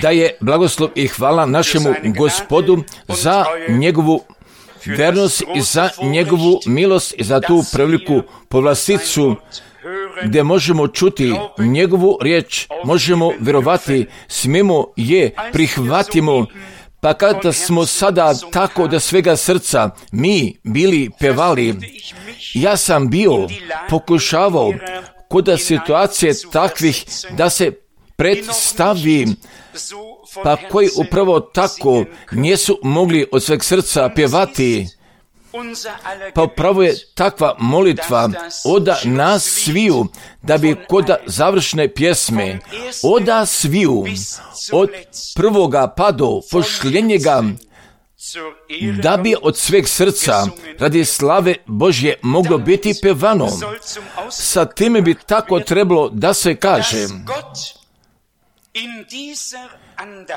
Da je blagoslov i hvala našemu Gospodu za njegovu vernost i za njegovu milost i za tu preveliku povlasticu gdje možemo čuti njegovu riječ, možemo vjerovati, smijemo je, prihvatimo. Pa kada smo sada tako da svega srca mi bili pevali, ja sam bio pokušavao kod situacije takvih da se predstavi, pa koji upravo tako nisu mogli od sveg srca pjevati. Pa upravo je takva molitva oda nas sviju, da bi kod završne pjesme oda sviju od prvoga pa do posljednjega, da bi od sveg srca radi slave Božje moglo biti pevano. Sa time bi tako trebalo da se kaže,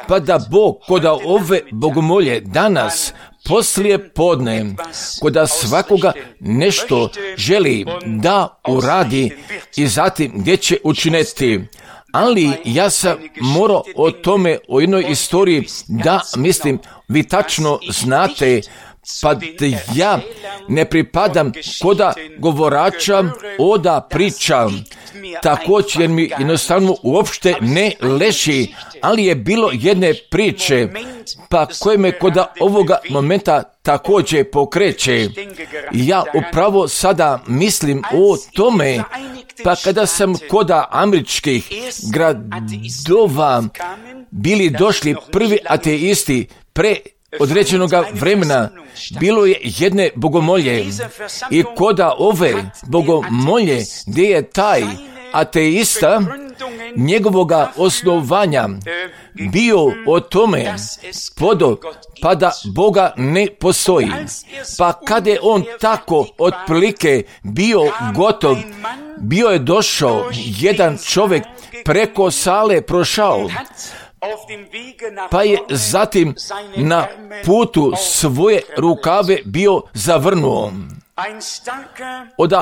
pa da Bog kod ove bogomolje danas poslije podne, kod svakoga nešto želi da uradi i zatim gdje će učiniti. Ali ja sam morao o tome, o jednoj istoriji da mislim, vi tačno znate, pa ja ne pripadam koda govorača oda priča, također jer mi jednostavno uopšte ne leži, ali je bilo jedne priče, pa koje me koda ovoga momenta također pokreće. Ja upravo sada mislim o tome, pa kada sam koda američkih gradova bili došli prvi ateisti pre određenog vremena, bilo je jedne bogomolje i koda ove bogomolje gdje je taj ateista njegovoga osnovanja bio o tome pa da Boga ne postoji. Pa kada je on tako otprilike bio gotov, bio je došao jedan čovjek preko sale prošao, pa je zatim na putu svoje rukave bio zavrnuo. Od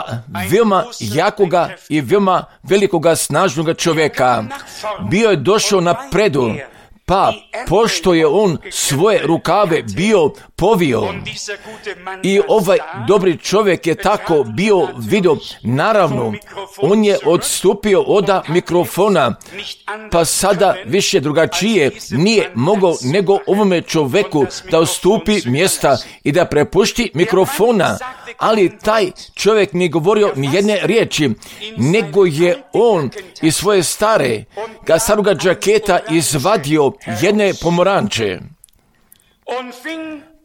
veoma jakoga i veoma velikoga snažnoga čovjeka bio je došao napredu, pa pošto je on svoje rukave bio povio i ovaj dobri čovjek je tako bio vidio, naravno on je odstupio od mikrofona, pa sada više drugačije nije mogao nego ovome čovjeku da odstupi mjesta i da prepušti mikrofona, ali taj čovjek nije govorio ni jedne riječi, nego je on iz svoje staroga džaketa izvadio jedne pomoranče,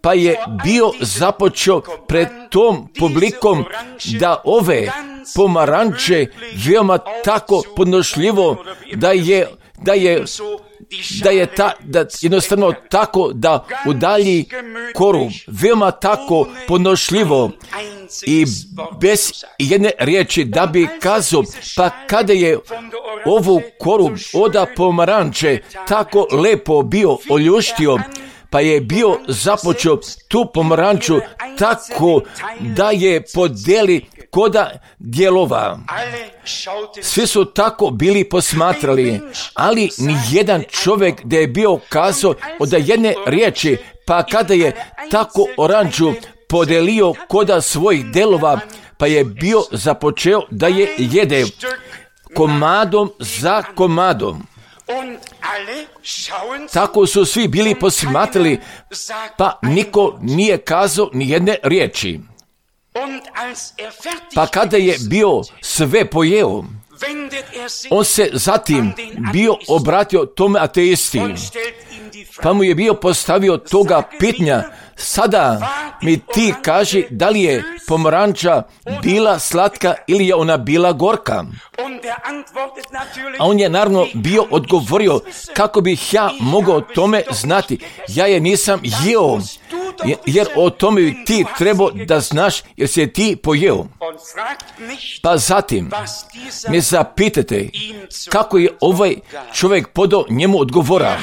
pa je bio započeo pred tom publikom da ove pomaranče veoma tako podnošljivo da jednostavno tako da udalji koru, veoma tako podnošljivo i bez jedne riječi da bi kazao, pa kada je ovu koru oda pomaranče tako lepo bio oljuštio, pa je bio započeo tu pomaranču tako da je podijeli koda dijelova. Svi su tako bili posmatrali, ali ni jedan čovjek da je bio kazao od jedne riječi, pa kada je tako oranđu podelio koda svojih delova, pa je bio započeo da je jede komadom za komadom. Tako su svi bili posmatrali, pa niko nije kazao ni jedne riječi. Pa kada je bio sve pojeo, on se zatim bio obratio tome ateisti, pa mu je bio postavio toga pitanja, sada mi ti kaži da li je pomoranča bila slatka ili je ona bila gorka. A on je naravno bio odgovorio, kako bih ja mogao tome znati, ja je nisam jeo, jer o tome bi ti trebao da znaš jer se ti pojeo. Pa zatim me zapitate kako je ovaj čovjek podao njemu odgovora.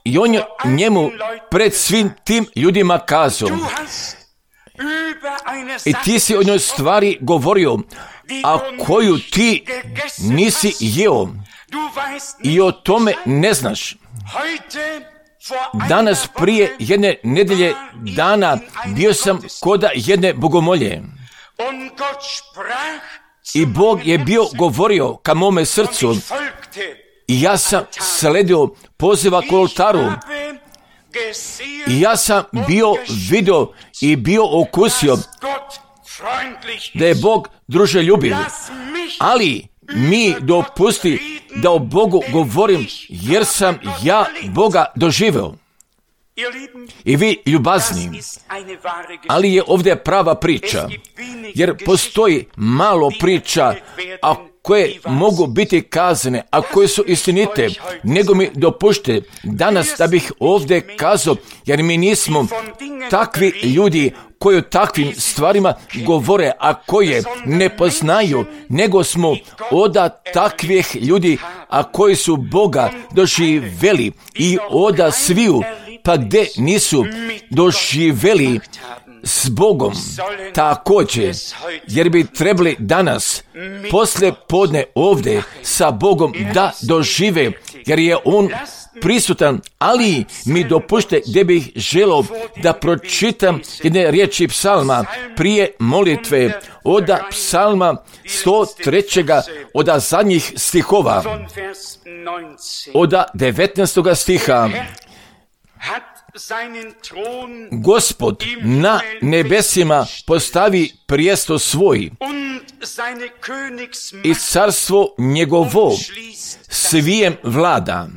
I on je njemu pred svim tim ljudima kazao, i ti si o njoj stvari govorio, a koju ti nisi jeo. i o tome ne znaš. Danas prije jedne nedelje dana bio sam koda jedne bogomolje. I Bog je bio govorio ka mome srcu i ja sam sledio poziva k oltaru. I ja sam bio vidio i bio okusio da je Bog druželjubiv. Ali mi dopusti da o Bogu govorim jer sam ja Boga doživeo. I vi ljubazni, ali je ovdje prava priča, jer postoji malo priča, a koje mogu biti kazane, a koje su istinite, nego mi dopušte danas da bih ovdje kazao, jer mi nismo takvi ljudi koji o takvim stvarima govore, a koje ne poznaju, nego smo oda takvih ljudi, a koji su Boga doživeli i oda sviju, pa gdje nisu doživeli s Bogom također, jer bi trebali danas poslije podne ovdje sa Bogom da dožive, jer je On prisutan, ali mi dopušte gdje bih želio da pročitam jedne riječi psalma prije molitve, od psalma 103. od zadnjih stihova, od 19. stiha. Gospod na nebesima postavi prijesto svoj i carstvo njegovo svijem vlada.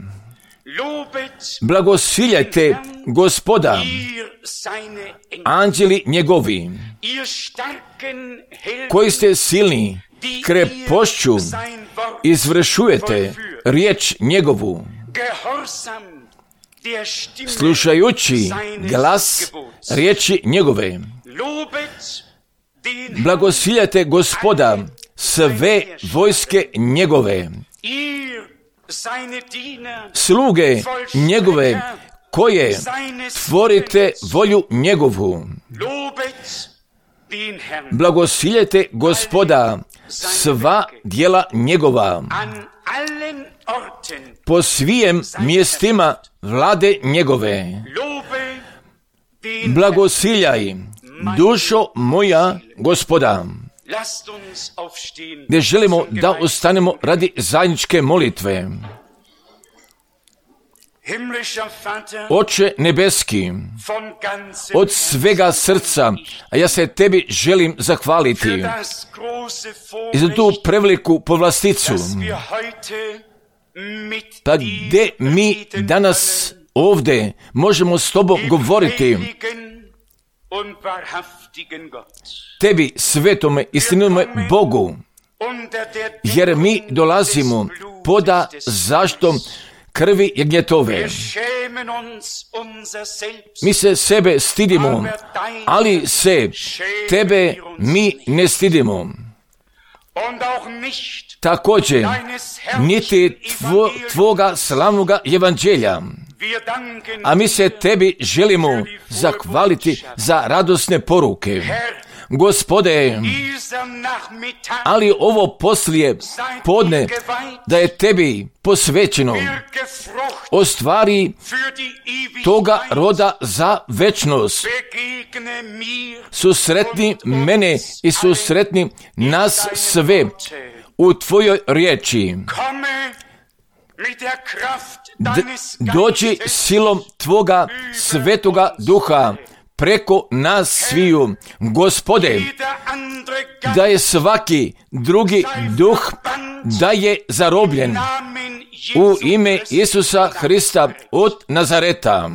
Blagosiljajte Gospoda, anđeli njegovi, koji ste silni, krepošću izvršujete riječ njegovu, slušajući glas riječi njegove. Blagosiljajte Gospoda, sve vojske njegove, sluge njegove, koje tvorite volju njegovu. Blagosiljajte Gospoda, sva djela njegova, po svijem mjestima vlade njegove. Blagosiljaj, dušo moja, Gospoda. Gdje želimo da ustanemo radi zajedničke molitve. Oče nebeski, od svega srca, a ja se tebi želim zahvaliti i za tu preveliku povlasticu, pa gdje mi danas ovdje možemo s tobom govoriti, tebi, svetome, istinome Bogu, jer mi dolazimo poda zaštom krvi jagnjetove. Mi se sebe stidimo, ali se tebe mi ne stidimo. Također, niti tvoga slavnoga evanđelja. A mi se tebi želimo zahvaliti za radosne poruke. Gospode, ali ovo poslije podne da je tebi posvećeno, ostvari toga roda za večnost. Susretni mene i susretni nas sve u tvojoj riječi. Dođi silom tvoga svetoga duha preko nas sviju, Gospode, da je svaki drugi duh da je zarobljen u ime Isusa Hrista od Nazareta.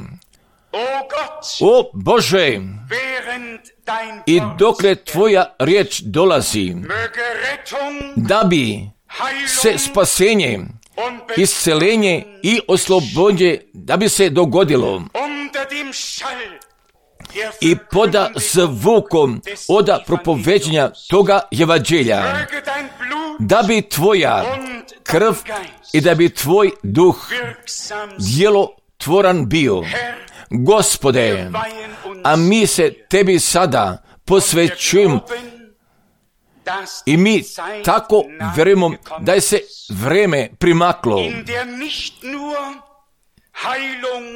O Bože, i dokle tvoja riječ dolazi, da bi se spasenje, iscelenje i oslobođenje da bi se dogodilo i poda zvukom oda propoveđenja toga evanđelja, da bi tvoja krv i da bi tvoj duh djelotvoran bio. Gospode, a mi se tebi sada posvećujemo I mi tako vjerujemo da je se vreme primaklo,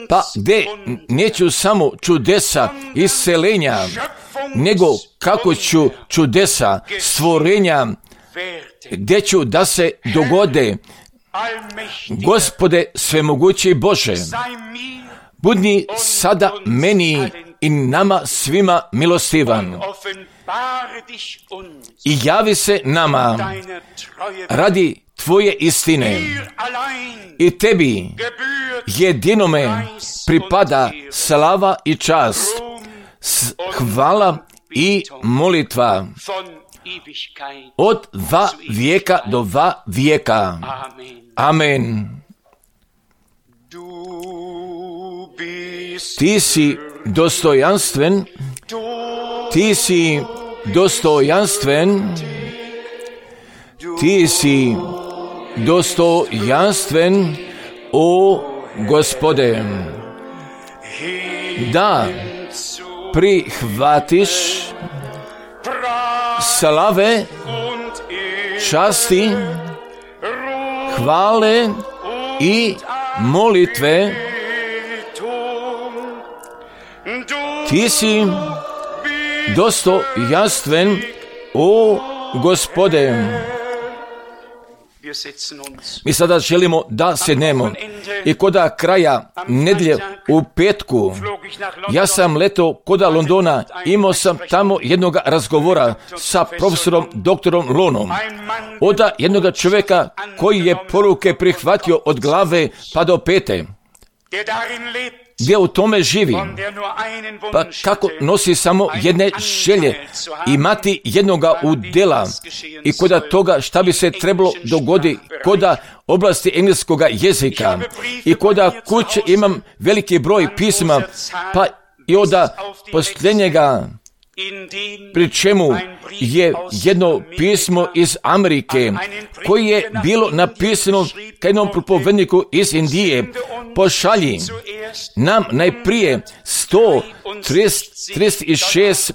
pa gdje neću samo čudesa isceljenja, nego kako ću čudesa stvorenja, gdje ću da se dogode. Gospode svemogući Bože, budi sada meni i nama svima milostivan i javi se nama radi Tvoje istine. I Tebi jedinome pripada slava i čast, hvala i molitva od dva vijeka do dva vijeka. Amen. Ti si dostojanstven, ti si dostojanstven, ti si dostojanstven, o Gospode, da prihvatiš slave, časti, hvale i molitve. Ti si dostojanstven, o Gospode. Mi sada želimo da sednemo i koda kraja nedjelje u petku, ja sam letao koda Londona, imao sam tamo jednog razgovora sa profesorom doktorom Lonom, od jednog čovjeka koji je poruke prihvatio od glave pa do pete, gdje u tome živi, pa kako nosi samo jedne želje, imati jednoga udjela i koda toga šta bi se trebalo dogoditi koda oblasti engleskoga jezika i koda kuće imam veliki broj pisma, pa i od posljednjega, pri čemu je jedno pismo iz Amerike koje je bilo napisano ka jednom propovedniku iz Indije. Pošalji nam najprije $136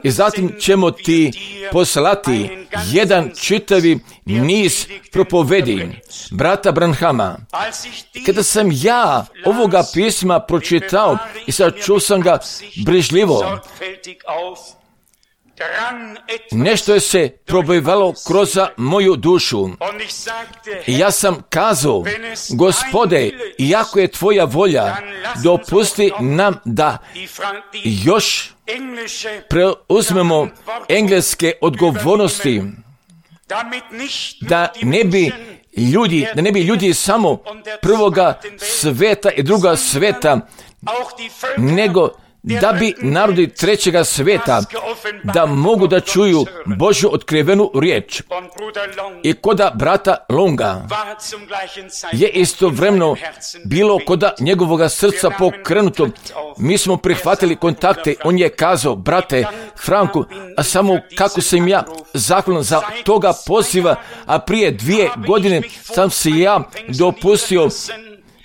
i zatim ćemo ti poslati jedan čitavi niz propovedi brata Branhama. Kada sam ja ovoga pisma pročitao i sačuo sam ga brižljivo, nešto je se probivalo kroz moju dušu. I ja sam kazao, Gospode, iako je Tvoja volja, dopusti nam da još preuzmemo engleske odgovornosti, da ne bi ljudi samo prvoga sveta i druga sveta, nego da bi narodi trećega sveta da mogu da čuju Božju otkrivenu riječ. I koda brata Longa je istovremeno bilo koda njegovoga srca pokrenuto. Mi smo prihvatili kontakte. On je kazao, brate Franku, a samo kako sam ja zahvalan za toga poziva, a prije 2 godine sam se ja dopustio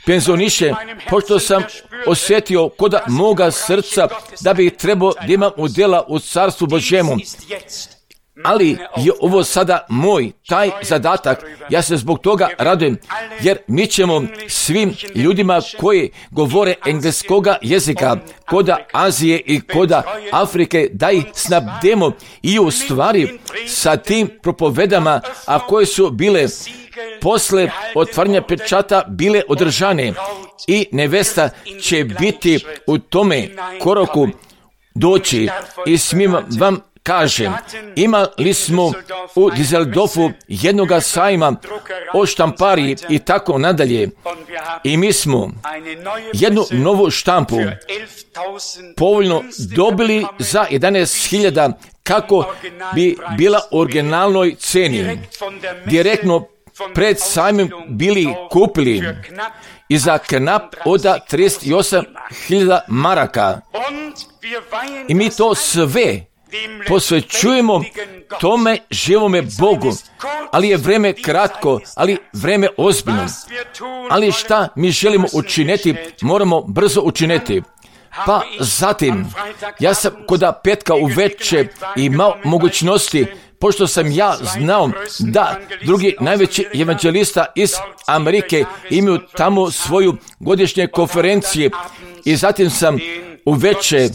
penzioniše, pošto sam osjetio koda moga srca da bi trebao da imam udjela u Carstvu Božjemu. Ali je ovo sada moj, taj zadatak. Ja se zbog toga radujem, jer mi ćemo svim ljudima koji govore engleskoga jezika, koda Azije i koda Afrike, da ih snabdemo i u stvari sa tim propovedama, a koje su bile posle otvaranja pečata bile održane, i nevesta će biti u tome koraku doći. I smijem vam kažem, imali smo u Düsseldorfu jednoga sajma o štampariji i tako nadalje, i mi smo jednu novu štampu povoljno dobili za 11.000 kako bi bila u originalnoj ceni. Direktno pred sajmom bili kupili i za knap od 38.000 maraka. I mi to sve posvećujemo tome živome Bogu, ali je vreme kratko, ali vreme ozbiljno. Ali šta mi želimo učiniti, moramo brzo učiniti. Pa zatim, ja sam koda petka uveče imao mogućnosti pošto sam ja znao da drugi najveći evanđelista iz Amerike imaju tamo svoju godišnje konferencije i zatim sam u veče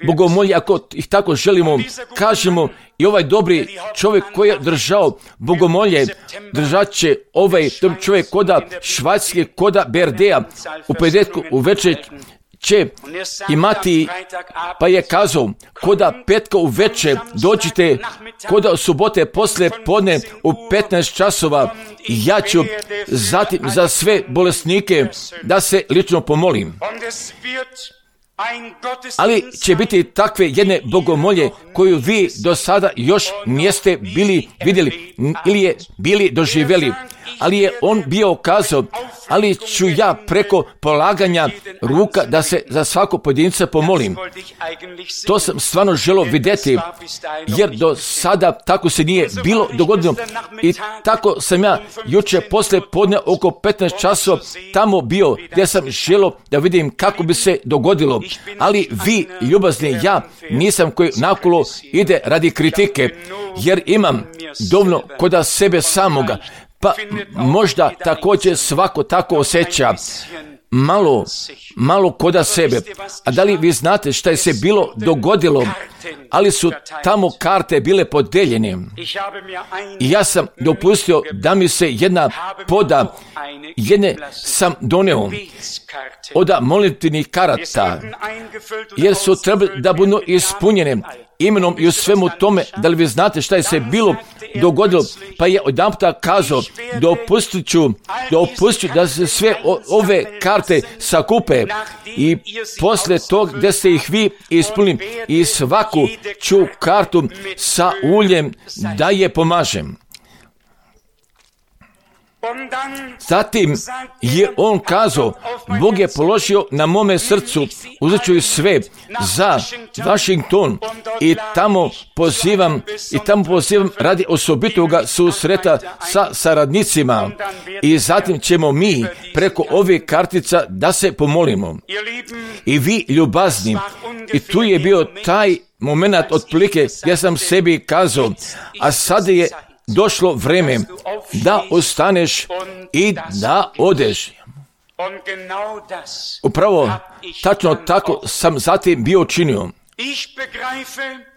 bogomolje, ako ih tako želimo, kažemo, i ovaj dobri čovjek koji je držao bogomolje, držat će ovaj čovjek koda Švajcarske, koda Berdea u petetku u večer će imati, pa je kazao, koda petka u večer dođite, koda subote poslije podne u 15 časova, ja ću zatim za sve bolesnike da se lično pomolim. Ali će biti takve jedne bogomolje koju vi do sada još niste bili vidjeli ili je bili doživjeli. Ali je on bio kazao, ali ću ja preko polaganja ruka da se za svako pojedinca pomolim. To sam stvarno želio vidjeti, jer do sada tako se nije bilo dogodilo. I tako sam ja jučer poslije podne oko 15 časova tamo bio, gdje sam želio da vidim kako bi se dogodilo. Ali vi, ljubazni, ja nisam koji nakolo ide radi kritike, jer imam dovoljno koda sebe samoga. Pa možda također svako tako osjeća, malo koda sebe. A da li vi znate šta je se bilo dogodilo? Ali su tamo karte bile podeljene. I ja sam dopustio da mi se jedna poda, jedne sam doneo od molitvenih karata, jer su trebali da budu ispunjene imenom i u svemu tome. Da li vi znate šta je se bilo dogodilo? Pa je odjedanputa kazao, dopustit ću da se sve ove karte sakupe i poslije tog gdje ste ih vi ispunili i svaku ću kartu sa uljem da je pomažem. Zatim je on kazao, Bog je položio na mome srcu, uzet ću sve za Washington i tamo pozivam radi osobitoga susreta sa saradnicima i zatim ćemo mi preko ovih kartica da se pomolimo. I vi, ljubazni, i tu je bio taj moment otprilike gdje sam sebi kazao, a sada je došlo vreme da ostaneš i da odeš. Upravo, tačno tako sam zatim bio činio.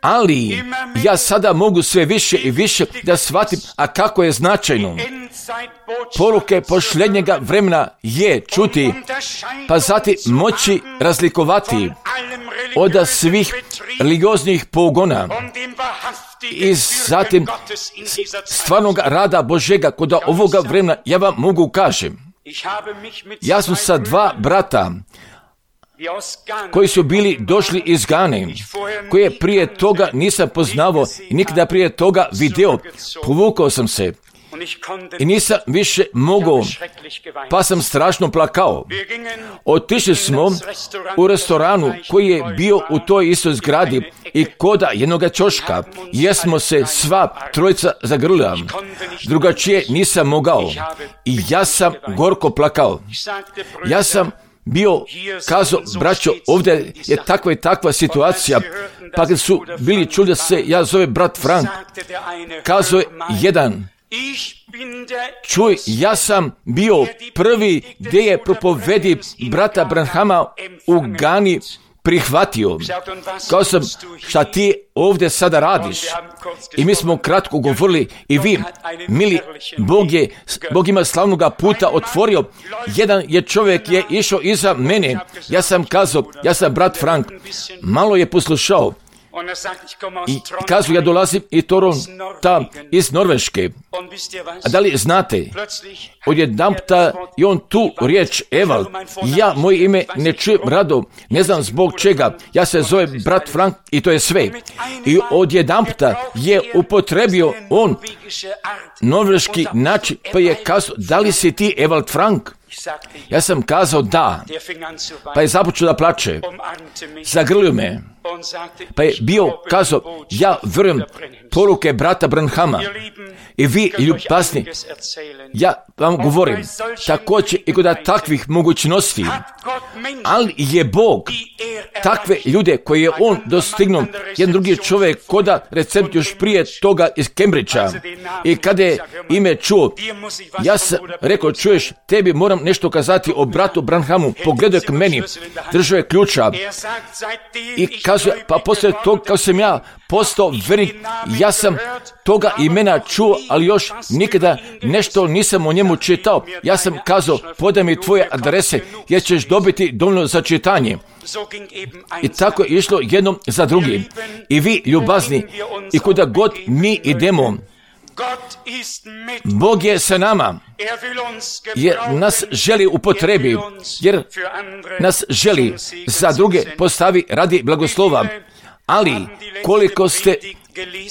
Ali ja sada mogu sve više i više da shvatim, a kako je značajno. Poruke posljednjega vremena je čuti, pa zatim moći razlikovati od svih religioznih pogona i zatim stvarnog rada Božjega kod ovoga vremena. Ja vam mogu kažem, ja sam sa 2 brata koji su bili došli iz Gane, koje prije toga nisam poznavao i nikada prije toga video, povukao sam se i nisam više mogao, pa sam strašno plakao. Otišli smo u restoranu koji je bio u toj istoj zgradi i koda jednoga ćoška, jer smo se sva trojica zagrlila. Drugačije nisam mogao i ja sam gorko plakao. Ja sam bio kazao, braćo, ovdje je takva i takva situacija, pa kad su bili čuli da se ja zove brat Frank, kazao je jedan, čuj, ja sam bio prvi gdje je propovedi brata Branhama u Gani prihvatio. Kao sam, šta ti ovdje sada radiš? I mi smo kratko govorili i vi, mili, Bog ima slavnoga puta otvorio. Jedan je čovjek je išao iza mene. Ja sam kazao, ja sam brat Frank. Malo je poslušao. I kažu, ja dolazim iz Norveške. A da li znate, odjedanputa je on tu riječ Evald. Ja moje ime ne čujem rado, ne znam zbog čega. Ja se zovem brat Frank i to je sve. I odjedanputa je upotrebio on norveški način, pa je kazao, da li si ti Evald Frank? Ja sam kazao da, pa je započeo da plače, zagrlio me, pa je bio kazao, ja vjerujem poruke brata Branhama. I vi, ljubazni, ja vam govorim, također i kod takvih mogućnosti, ali je Bog takve ljude koje je on dostignuo, jedan drugi čovjek koda recept još prije toga iz Cambridgea, i kada je ime čuo, ja sam rekao, čuješ, tebi moram nešto kazati o bratu Branhamu, pogledaj k meni, držao je ključa i kazuje, pa poslije toga kao sam ja postao vernik, ja sam toga imena čuo, ali još nikada nešto nisam o njemu čitao. Ja sam kazao, podaj mi tvoje adrese jer ćeš dobiti dovoljno za čitanje. I tako je išlo jednom za drugim. I vi, ljubazni, i kuda god mi idemo, Bog je sa nama, jer nas želi upotrebi, jer nas želi za druge postavi radi blagoslova. Ali koliko ste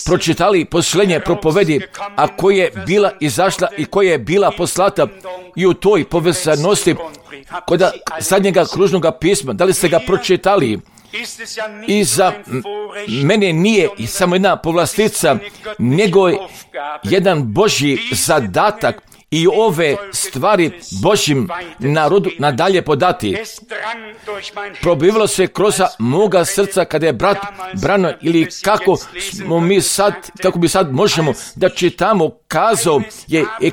pročitali posljednje propovedi, a koja je bila izašla i koja je bila poslata i u toj povezanosti kod zadnjega kružnog pisma, da li ste ga pročitali? I za mene nije samo jedna povlastica, nego jedan Božji zadatak i ove stvari Božjim narodu nadalje podati. Probivalo se kroz moga srca kada je brat Brano, ili kako mi sad možemo da čitamo, kazao je i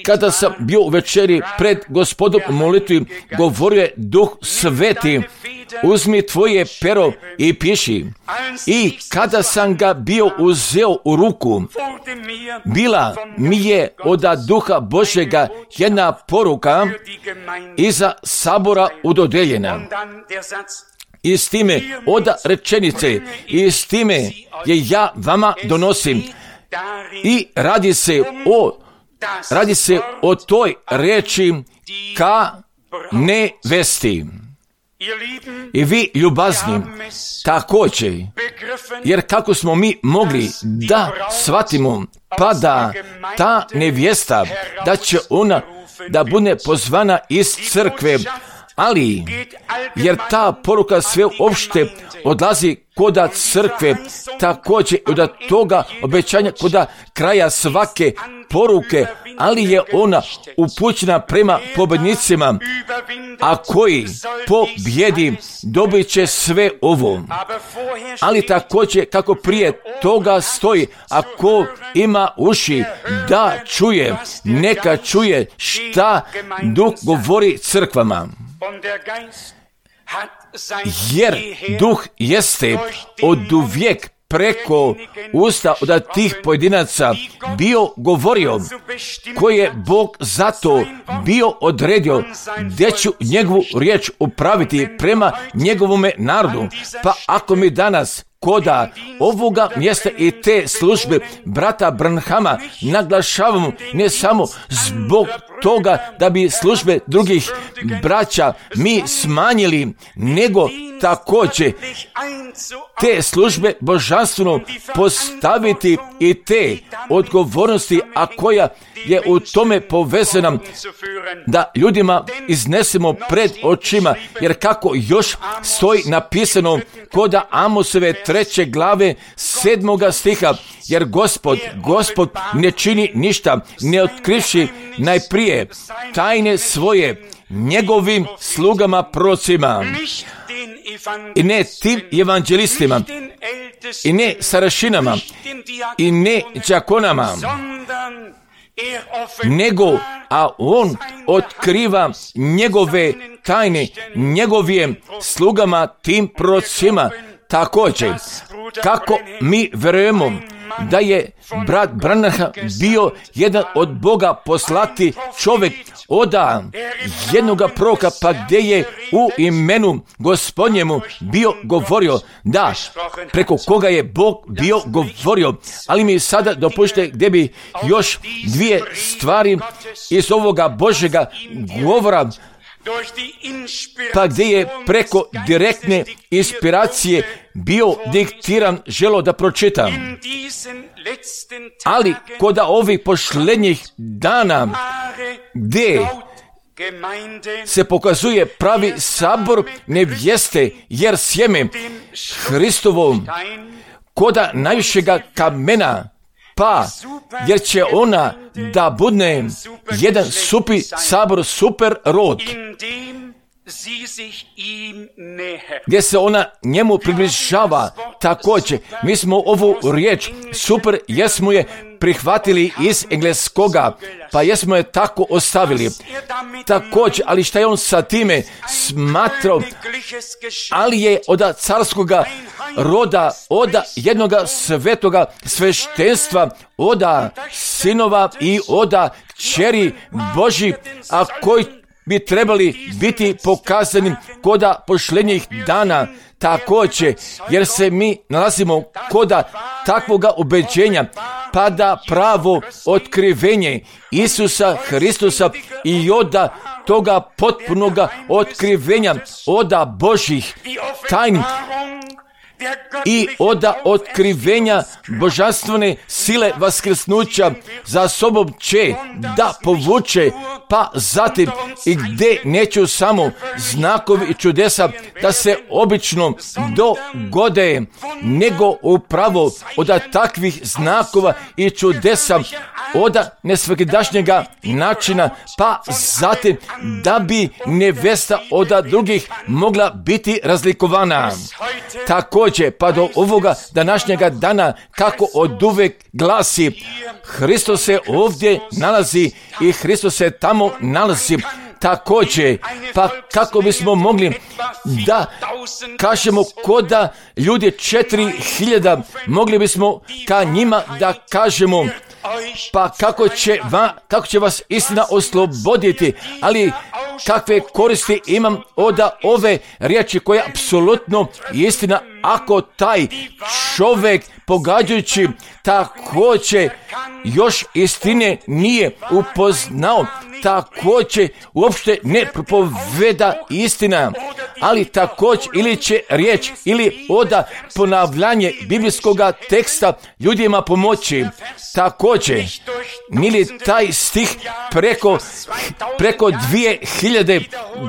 kada sam bio u večeri pred Gospodom u molitvi, govorio je Duh Sveti, uzmi tvoje pero i piši. I kada sam ga bio uzeo u ruku, bila mi je od Duha Božjega jedna poruka iza sabora udodeljena. I s time od rečenice, i s time je ja vama donosim. I radi se o toj reči ka nevesti. I vi, ljubazni, također, jer kako smo mi mogli da shvatimo, pa da ta nevjesta, da će ona da bude pozvana iz crkve, ali jer ta poruka sve opšte odlazi koda crkve, također od toga obećanja koda kraja svake poruke, ali je ona upućena prema pobjednicima, a koji pobjedi dobit će sve ovo. Ali također kako prije toga stoji, ako ima uši da čuje, neka čuje šta Duh govori crkvama. Jer Duh jeste oduvijek preko usta od tih pojedinaca bio govorio, koje je Bog zato bio odredio, gdje ću njegovu riječ upraviti prema njegovome narodu. Pa ako mi danas koda ovoga mjesta i te službe brata Branhama naglašavamo, ne samo zbog toga da bi službe drugih braća mi smanjili, nego također te službe božanstveno postaviti i te odgovornosti, a koja je u tome povezana, da ljudima iznesemo pred očima, jer kako još stoji napisano koda Amosove 3. glave 7. stiha, jer Gospod ne čini ništa, ne otkrivši najprije tajne svoje njegovim slugama prorocima, i ne tim evanđelistima, i ne starešinama, i ne đakonama, nego, a on otkriva njegove tajne njegovim slugama tim prorocima. Također, kako mi verujemo da je brat Branham bio jedan od Boga poslati čovjek od jednoga proroka, pa gdje je u imenu Gospodnjemu bio govorio, da, preko koga je Bog bio govorio. Ali mi sada dopušte gdje bi još dvije stvari iz ovoga Božjega govora, pa gdje je preko direktne inspiracije bio diktiran, želo da pročitam. Ali kod ovih posljednjih dana, gdje se pokazuje pravi sabor nevjeste, jer sjeme Hristovo koda najvišega kamena pa jer će ona da bude jedan super rod, gdje se ona njemu približava. Također, mi smo ovu riječ super, jesmo je prihvatili iz engleskoga, pa jesmo je tako ostavili. Također, ali šta je on sa time smatrao? Ali je od carskoga roda, od jednoga svetoga sveštenstva, od sinova i od kćeri Božji, a koji bi trebali biti pokazani kod posljednjih dana. Također, jer se mi nalazimo kod takvoga ubeđenja, pa da pravo otkrivenje Isusa Hristusa i od toga potpunoga otkrivenja od Božjih tajni i od otkrivenja božanstvene sile vaskrsnuća za sobom će da povuče, pa zatim i gdje neću samo znakovi i čudesa da se obično dogode, nego upravo od takvih znakova i čudesa od nesvakidašnjega načina, pa zatim da bi nevesta od drugih mogla biti razlikovana. Također, pa do ovoga današnjega dana, kako oduvek glasi, Hristos se ovdje nalazi i Hristos se tamo nalazi. Također, pa kako bismo mogli da kažemo koda ljudi 4000, mogli bismo ka njima da kažemo, pa kako će vas istina osloboditi, ali kakve koristi imam od ove riječi koja je apsolutno istina, ako taj čovjek pogađajući također još istine nije upoznao, također uopšte ne propoveda istina, ali također ili će riječ ili od ponavljanje biblijskog teksta ljudima pomoći. Također, mili taj stih preko 2000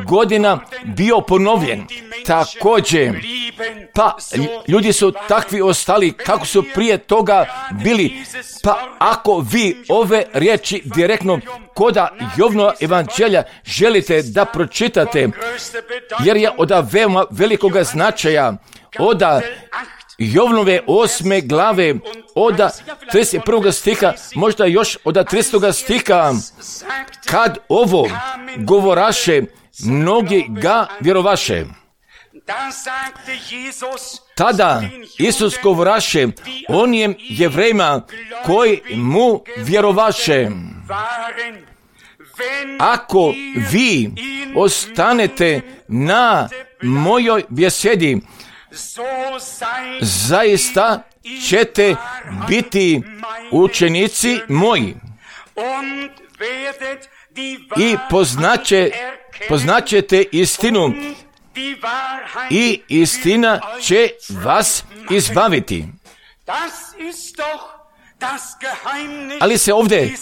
godina bio ponovljen. Također, pa ljudi su takvi ostali kako su prije toga bili. Pa ako vi ove riječi direktno koda Jovnova evanđelja želite da pročitate, jer je od veoma velikog značaja, od Jovnove 8. glave, od 31. stiha, možda još od 30. stiha, kad ovo govoraše, mnogi ga vjerovaše. Tada Isus govoraše onijem Jevrejima koji mu vjerovaše: ako vi ostanete na mojoj besedi, zaista ćete biti učenici moji i poznaćete istinu i istina će vas izbaviti. Ali se ovdje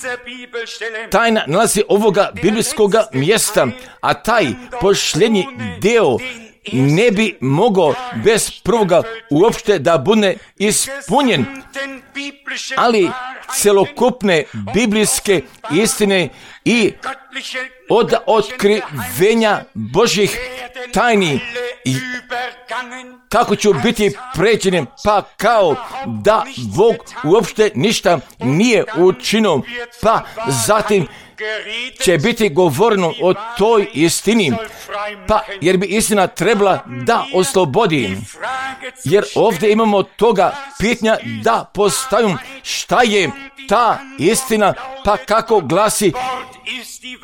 tajna nalazi ovoga biblijskog mjesta, a taj posljednji dio ne bi mogao bez prvoga uopšte da bude ispunjen, ali celokupne biblijske istine i od otkrivenja Božjih tajni kako ću biti pređenim, pa kao da Bog uopšte ništa nije učinio, pa zatim će biti govoreno o toj istini, pa jer bi istina trebala da oslobodi. Jer ovdje imamo toga pitanja da postavim šta je ta istina, pa kako glasi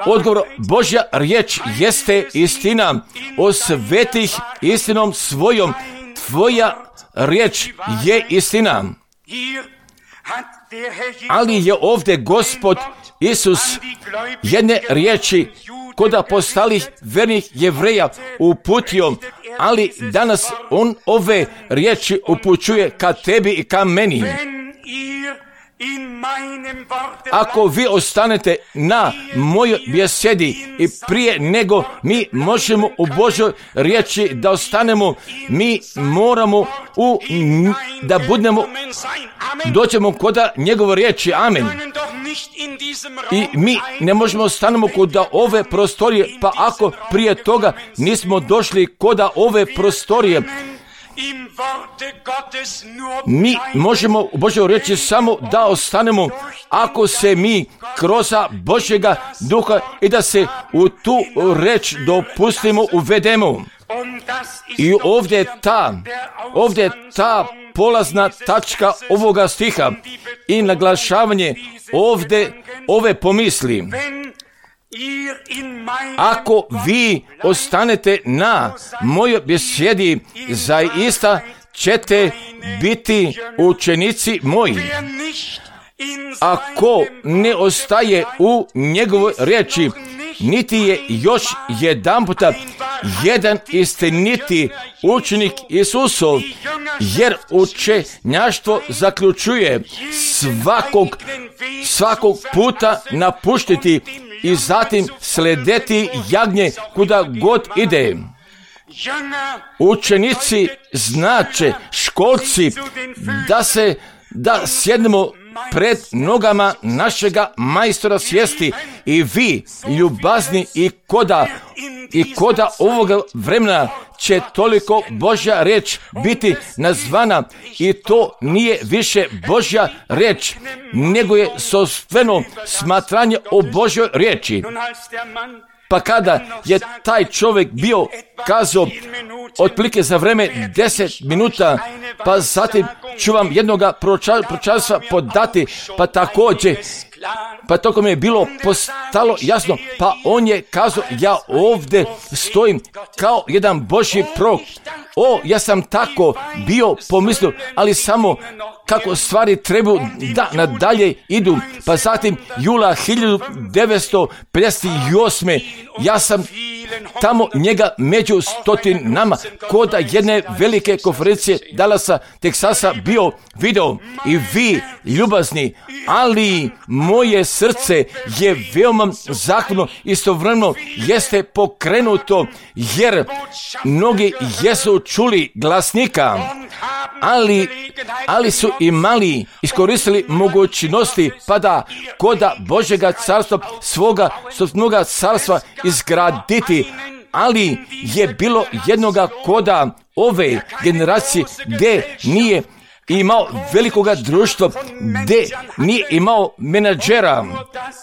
odgovor: Božja riječ jeste istina, osvetih istinom svojom, tvoja riječ je istina. Ali je ovdje Gospod Isus jedne riječi kod postalih vernih Jevreja uputio, ali danas on ove riječi upućuje ka tebi i ka meni. Ako vi ostanete na mojoj besedi i prije nego mi možemo u Božoj riječi da ostanemo, mi moramo da budemo, doćemo kod njegove riječi. Amen. I mi ne možemo ostanemo kod ove prostorije, pa ako prije toga nismo došli kod ove prostorije, mi možemo u Božoj riječi samo da ostanemo ako se mi kroz Božjega duha i da se u tu reč dopustimo, uvedemo. I ovdje je ta polazna tačka ovoga stiha i naglašavanje ovdje ove pomisli. Ako vi ostanete na mojoj besedi, zaista ćete biti učenici moji. Ako ne ostaje u njegovoj riječi, niti je još jedanputa jedan istiniti učenik Isusov, jer učenjaštvo zaključuje svakog puta napuštiti i zatim sledeti jagnje kuda god ide. Učenici znače, školci, da sjednemo pred nogama našega majstora svijesti, i vi, ljubazni, i koda ovoga vremena će toliko Božja riječ biti nazvana, i to nije više Božja riječ, nego je sopstveno smatranje o Božjoj riječi. Pa kada je taj čovjek bio kazao otprilike za vreme 10 minuta, pa zatim ću vam jednoga proročanstva podati, pa također, pa toko mi je bilo postalo jasno, pa on je kazao, ja ovdje stojim kao jedan Božji prorok. Ja sam tako bio pomislio, ali samo kako stvari trebaju da nadalje idu. Pa zatim jula 1958. ja sam tamo njega među stotinama kod jedne velike konferencije Dallasa, Teksasa bio video. I vi, ljubazni, ali moje srce je veoma zahvalno, istovremeno jeste pokrenuto, jer mnogi jesu čuli glasnika, ali su iskoristili mogućnosti pa da koda Božjega carstva, svoga sopstvenoga carstva izgraditi. Ali je bilo jednoga koda ove generacije gdje nije imao velikoga društva, gdje nije imao menadžera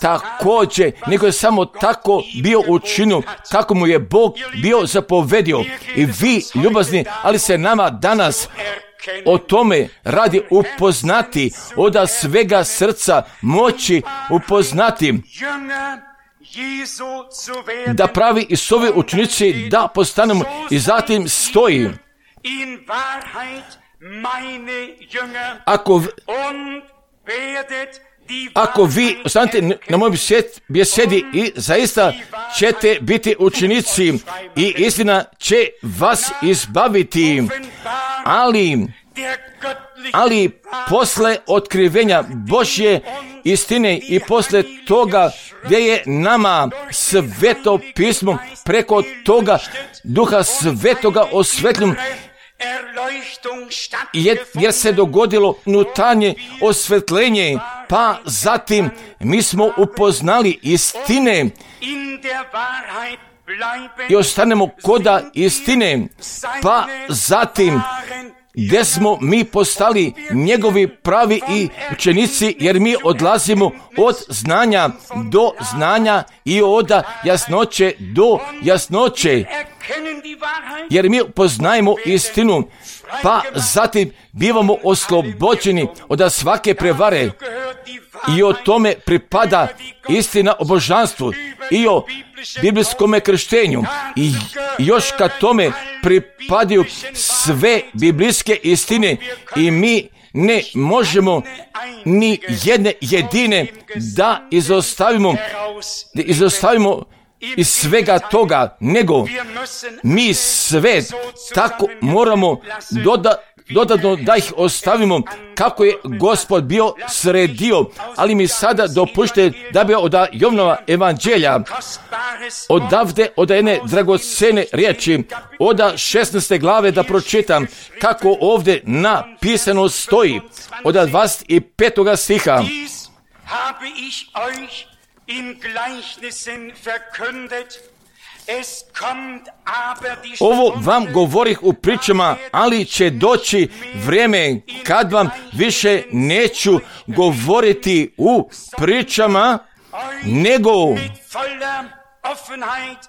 također, nego je samo tako bio učinio kako mu je Bog bio zapovedio. I vi, ljubazni, ali se nama danas o tome radi upoznati, od svega srca moći upoznati, da pravi Isusovi učenici da postanemo. I zatim stoji, ako vi ostanete na mojoj besedi, i zaista ćete biti učenici, i istina će vas izbaviti. Ali posle otkrivenja Božje istine i posle toga gdje je nama Sveto pismo preko toga Duha Svetoga osvetljeno, jer se dogodilo unutarnje osvetljenje, pa zatim mi smo upoznali istine i ostanemo koda istine, pa zatim gdje smo mi postali njegovi pravi i učenici, jer mi odlazimo od znanja do znanja i od jasnoće do jasnoće, jer mi poznajemo istinu, pa zatim bivamo oslobođeni od svake prevare, i o tome pripada istina o božanstvu i o biblijskom krštenju, i još kad tome pripadaju sve biblijske istine, i mi ne možemo ni jedne jedine da izostavimo iz svega toga, nego mi sve tako moramo dodatno da ih ostavimo kako je Gospod bio sredio, ali mi sada dopušte da bi od Jovanova evanđelja odavde od jedne dragocene riječi od 16. glave da pročitam kako ovdje napisano stoji od 25. stiha. Ovo vam govorih u pričama, ali će doći vrijeme kad vam više neću govoriti u pričama,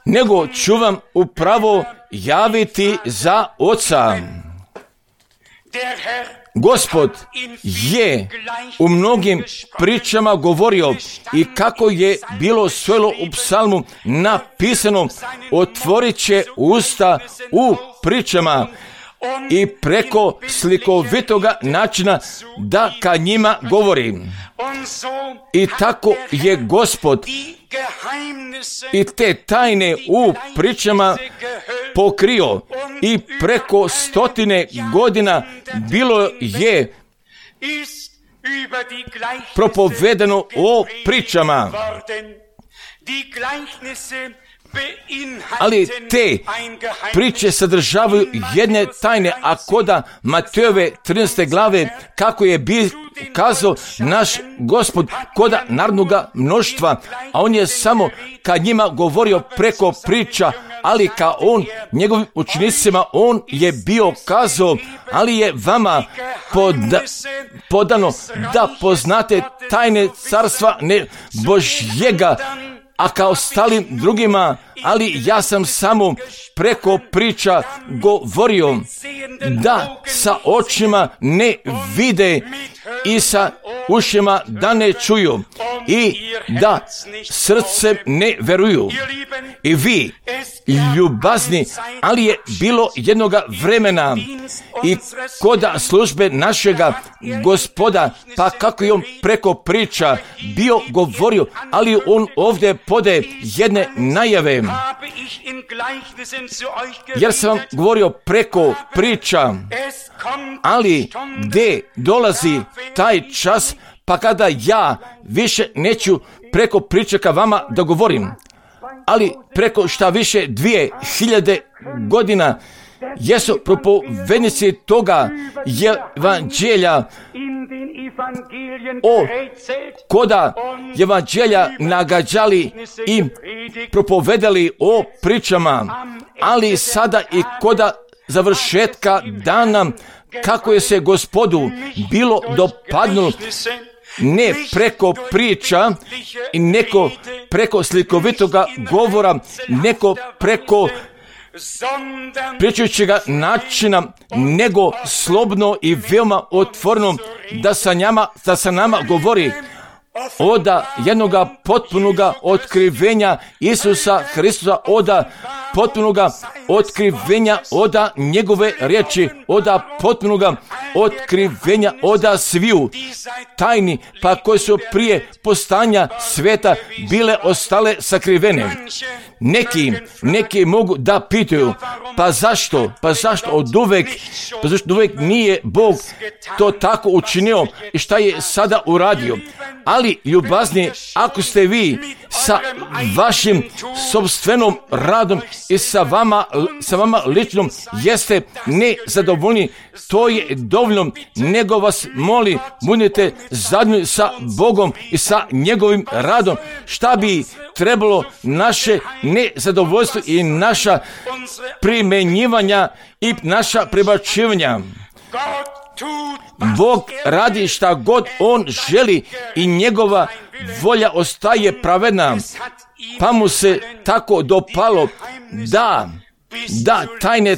nego ću vam upravo javiti za Oca. Gospod je u mnogim pričama govorio i kako je bilo svelo u psalmu napisano, otvorit će usta u pričama i preko slikovitoga načina da ka njima govori. I tako je Gospod i te tajne u pričama pokrio i preko 100 godina bilo je propovedano o pričama. Ali te priče sadržavaju jedne tajne, a koda Matejove 13. glave, kako je kazao naš Gospod koda narodnoga mnoštva, a on je samo kad njima govorio preko priča, ali ka on, njegovim učenicima, on je bio kazao, ali je vama podano da poznate tajne carstva ne Božjega, a kao ostalim drugima, ali ja sam samo preko priča govorio da sa očima ne vide i sa ušima da ne čuju i da srcem ne veruju. I vi, ljubazni, ali je bilo jednoga vremena i koda službe našega Gospoda, pa kako je on preko priča bio govorio, ali on ovdje podaje jedne najave. Jer sam vam govorio preko priča, ali gdje dolazi taj čas, pa kada ja više neću preko priča ka vama da govorim, ali preko šta više 2000 godina jesu propovednici toga evanđelja o koda evanđelja nagađali i propovedali o pričama, ali sada i koda završetka dana kako je se Gospodu bilo dopadnulo, ne preko priča i neko preko slikovitoga govora, neko preko pričajućega načina, nego slobodno i veoma otvoreno da sa nama govori od jednoga potpunoga otkrivenja Isusa Hristusa, od potpunoga otkrivenja od njegove riječi, od potpunoga otkrivenja od sviju tajni, pa koje su prije postanja sveta bile ostale sakrivene. Neki mogu da pitaju, pa zašto od uvek nije Bog to tako učinio i šta je sada uradio. Ali ljubazni, ako ste vi sa vašim sopstvenom radom i sa vama ličnom jeste nezadovoljni, to je dovoljno, nego vas moli, budite zadovoljni sa Bogom i sa njegovim radom. Šta bi trebalo naše nezadovoljstvo i naša primenjivanja i naša prebačivanja? Bog radi šta god on želi i njegova volja ostaje pravedna, pa mu se tako dopalo da tajne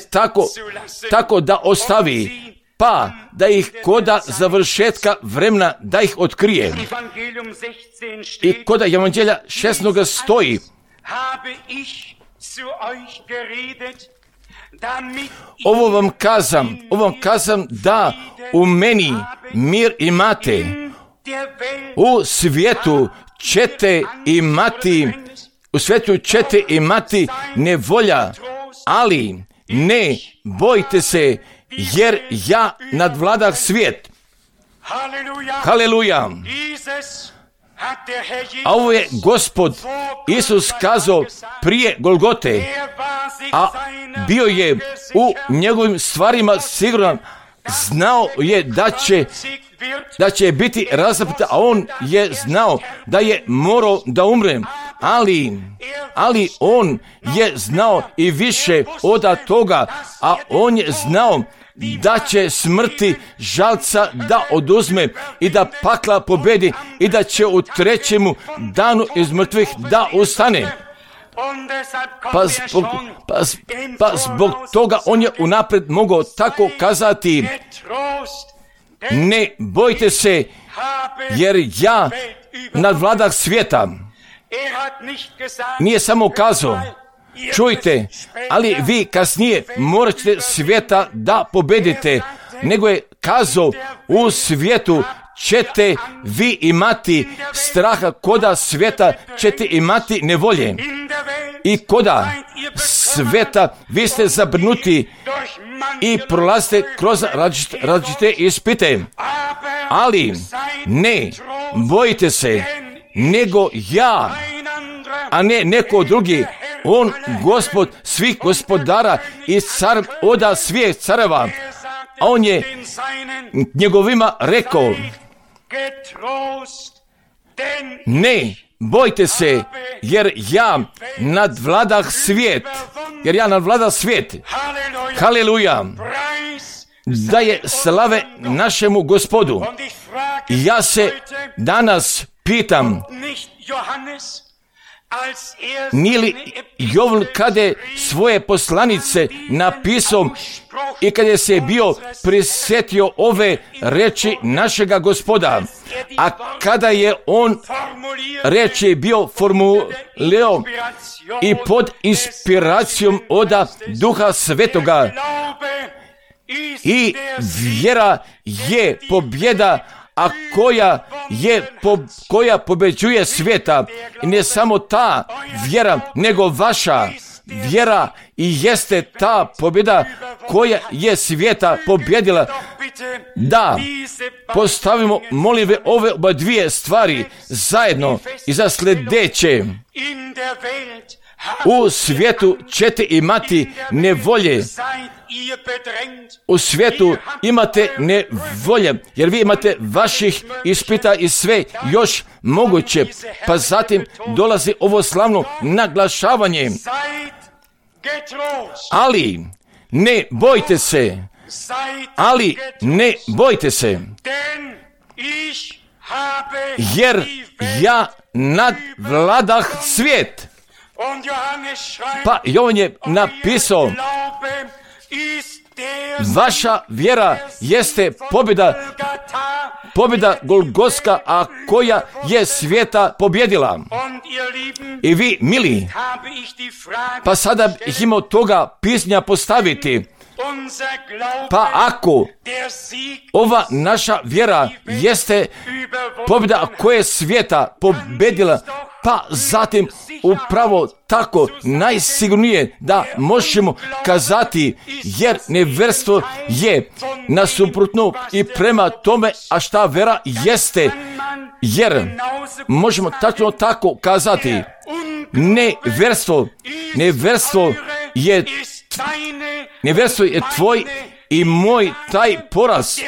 tako da ostavi, pa da ih koda završetka vremena da ih otkrije. I koda evanđelja 16. stoji: Ovo vam kazam da u meni mir imate. U svijetu ćete imati nevolja, ali ne bojte se, jer ja nadvladah svijet. Haleluja. A ovo je Gospod Isus kazao prije Golgote, a bio je u njegovim stvarima siguran, znao je da će biti razapet, a on je znao da je morao da umre, ali on je znao i više od toga, a on je znao da će smrti žalca da oduzme i da pakla pobedi i da će u trećemu danu iz mrtvih da ustane. Pa zbog toga on je unaprijed mogao tako kazati: ne bojte se, jer ja nadvladah svijeta. Nije samo kazao: čujte, ali vi kasnije morat ćete svijeta da pobedite, nego je kazao: u svijetu ćete vi imati straha, koda svijeta ćete imati nevolje. I koda svijeta vi ste zabrinuti i prolazite kroz različite ispite. Ali ne bojite se, nego ja, a ne neko drugi. On, Gospod svih gospodara i car oda svih careva. A on je njegovima rekao: ne bojte se, jer ja nadvladah svijet. Haleluja. Da je slave našemu Gospodu. Ja se danas pitam, nije li Jovan kada je svoje poslanice napisao i kada je se bio prisjetio ove reči našega Gospoda, a kada je on reči bio formulirao i pod inspiracijom od Duha Svetoga, i vjera je pobjeda, a koja pobeđuje svijeta. I ne samo ta vjera, nego vaša vjera i jeste ta pobjeda koja je svijeta pobjedila. Da postavimo, molim ve, ove oba dvije stvari zajedno i za sljedeće. U svijetu ćete imati nevolje. U svijetu imate nevolje, jer vi imate vaših ispita i sve još moguće. Pa zatim dolazi ovo slavno naglašavanje. Ali ne bojte se. Jer ja nadvladah svijet. Pa Jovan je napisao: vaša vjera jeste pobjeda Golgotska, a koja je svijeta pobjedila. I vi, mili, pa sada bih imao toga pisanja postaviti. Pa ako ova naša vjera jeste pobjeda koja je svijeta pobjedila, pa zatim upravo tako najsigurnije da možemo kazati, jer nevjerstvo je nasuprotno i prema tome, a šta vera jeste, jer možemo tačno tako kazati, nevjerstvo je tvoj i moj taj poraz,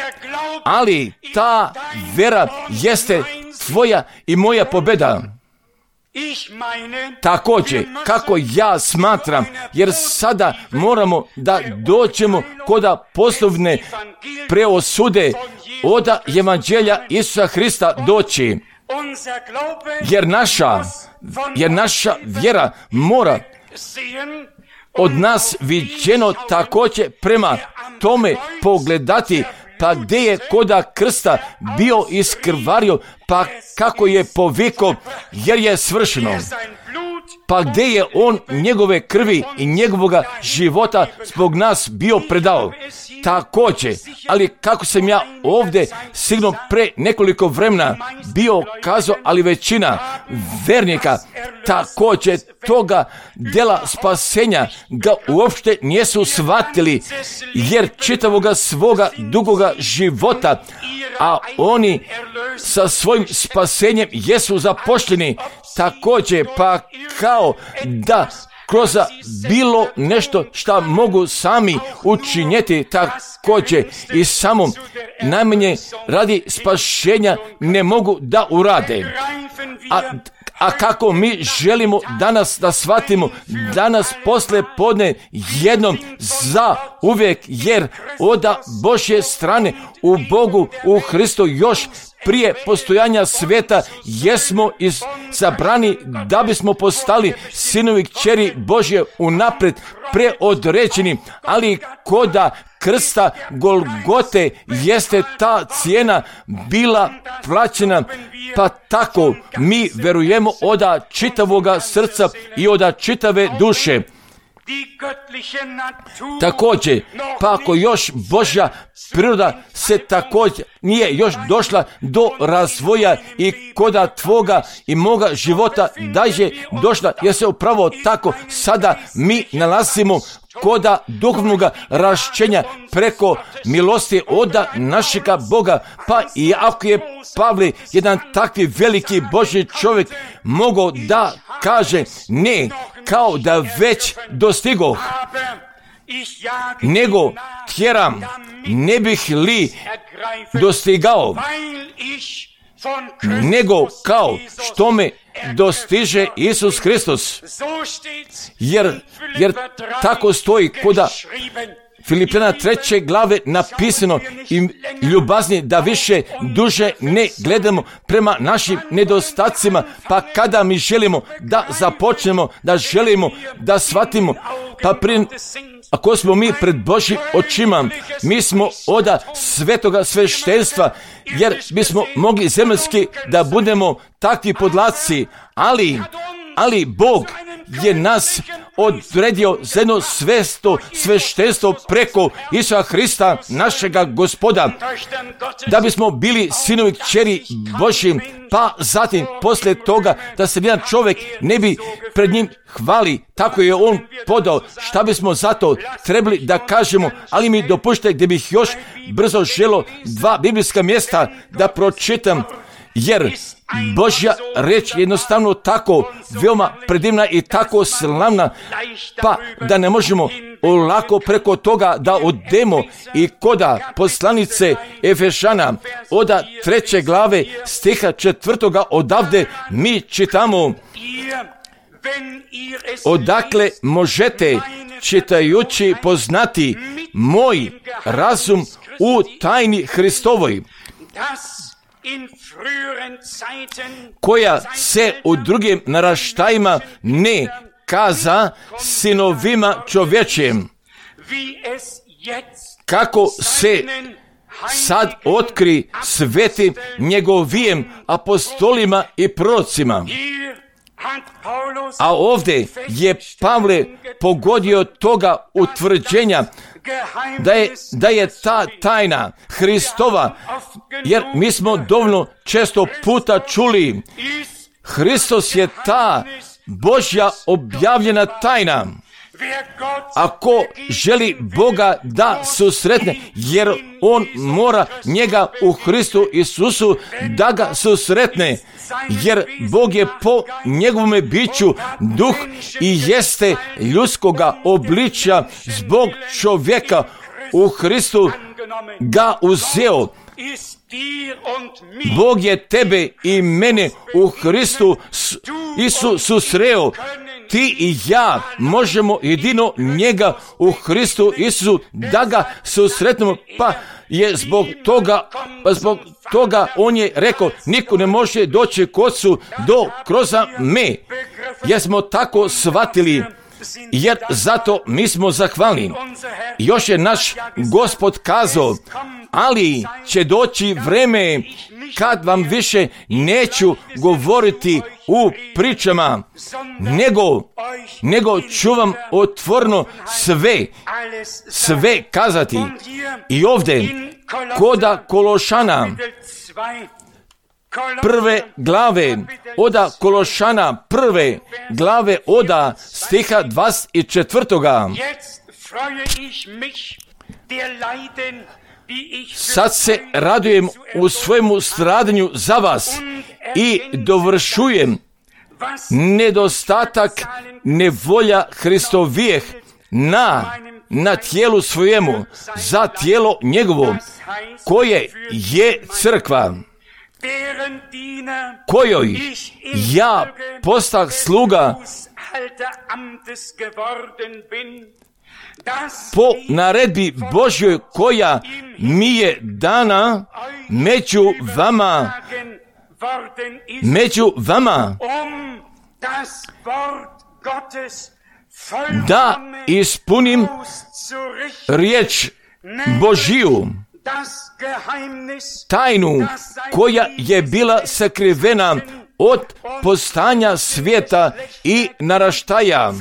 ali ta vera jeste tvoja i moja pobjeda. Također, kako ja smatram, jer sada moramo da dođemo kod poslovne preosude od evanđelja Isusa Hrista doći, jer naša vjera mora od nas viđeno također prema tome pogledati, pa gdje je koda krsta bio iskrvario, pa kako je poviko, jer je svršeno. pa gdje je on njegove krvi i njegovoga života zbog nas bio predao. Također, ali kako sam ja ovdje sigurno pre nekoliko vremena bio kazao, ali većina vernika također toga dela spasenja ga uopšte nisu shvatili, jer čitavoga svoga dugoga života, a oni sa svojim spasenjem jesu zapošljeni također, pa kao da kroz bilo nešto što mogu sami učinjeti također i samo najmanje radi spašenja ne mogu da urade. A kako mi želimo danas da shvatimo, danas posle podne jednom za uvijek, jer od Božje strane u Bogu, u Hristu još prije postojanja svijeta jesmo izabrani da bismo postali sinovi kćeri Božje unaprijed preodređeni, ali koda krsta Golgote jeste ta cijena bila plaćena, pa tako mi verujemo od čitavoga srca i od čitave duše. Također, pa ako još Božja priroda se također nije još došla do razvoja i koda tvoga i moga života daže došla, jer se upravo tako sada mi nalazimo koda duhovnog rašćenja preko milosti od našega Boga. Pa i ako je Pavle jedan takvi veliki Božji čovjek mogao da kaže ne, kao da već dostigoh, nego tjeram, ne bih li dostigao, nego kao što me dostiže Isus Hristos. Jer tako stoji koda Filipljana 3. glave napisano i ljubazni da više duže ne gledamo prema našim nedostacima, pa kada mi želimo da započnemo, da želimo da shvatimo, pa ako smo mi pred Božjim očima, mi smo od svetoga sveštenstva, jer bismo mogli zemaljski da budemo takvi podlaci, ali Bog je nas odredio za jedno sveštenstvo preko Isusa Hrista, našega Gospoda, da bismo bili sinovi kćeri Božji, pa zatim poslije toga da se jedan čovjek ne bi pred njim hvali, tako je on podao, šta bismo zato trebali da kažemo, ali mi dopušte gdje bih još brzo želo 2 biblijska mjesta da pročitam, jer Božja reč je jednostavno tako veoma predivna i tako slavna, pa da ne možemo lako preko toga da odemo. I koda poslanice Efešana od 3. glave stiha 4. odavde mi čitamo: odakle možete čitajući poznati moj razum u tajni Hristovoj, koja se u drugim naraštajima ne kaza sinovima čovječjem, kako se sad otkri svetim njegovijem apostolima i prorocima. A ovdje je Pavle pogodio toga utvrđenja da je ta tajna Hristova, jer mi smo dovoljno često puta čuli, Hristos je ta Božja objavljena tajna. Ako želi Boga da susretne, jer on mora njega u Hristu Isusu da ga susretne, jer Bog je po njegovome biću duh i jeste ljudskoga obličja zbog čovjeka u Hristu ga uzeo. Bog je tebe i mene u Hristu Isusu sreo. Ti i ja možemo jedino njega u Hristu Isusu da ga susretnemo, pa je zbog toga on je rekao, niko ne može doći k Ocu do kroz me. Jer smo tako shvatili jer zato mi smo zahvalni. Još je naš Gospod kazao, ali će doći vreme kad vam više neću govoriti u pričama, nego ću vam otvoreno sve kazati. I ovdje koda Kološana, prve glave, oda Kološana, prve glave, oda stiha 24. Sad se radujem u svojemu stradanju za vas i dovršujem nedostatak nevolja Hristovijeh na tijelu svojemu, za tijelo njegovo, koje je crkva, kojoj ja postah sluga po naredbi Božjoj koja mi je dana među vama, da ispunim riječ Božiju, tajnu koja je bila sakrivena od postanja svijeta i naraštaja,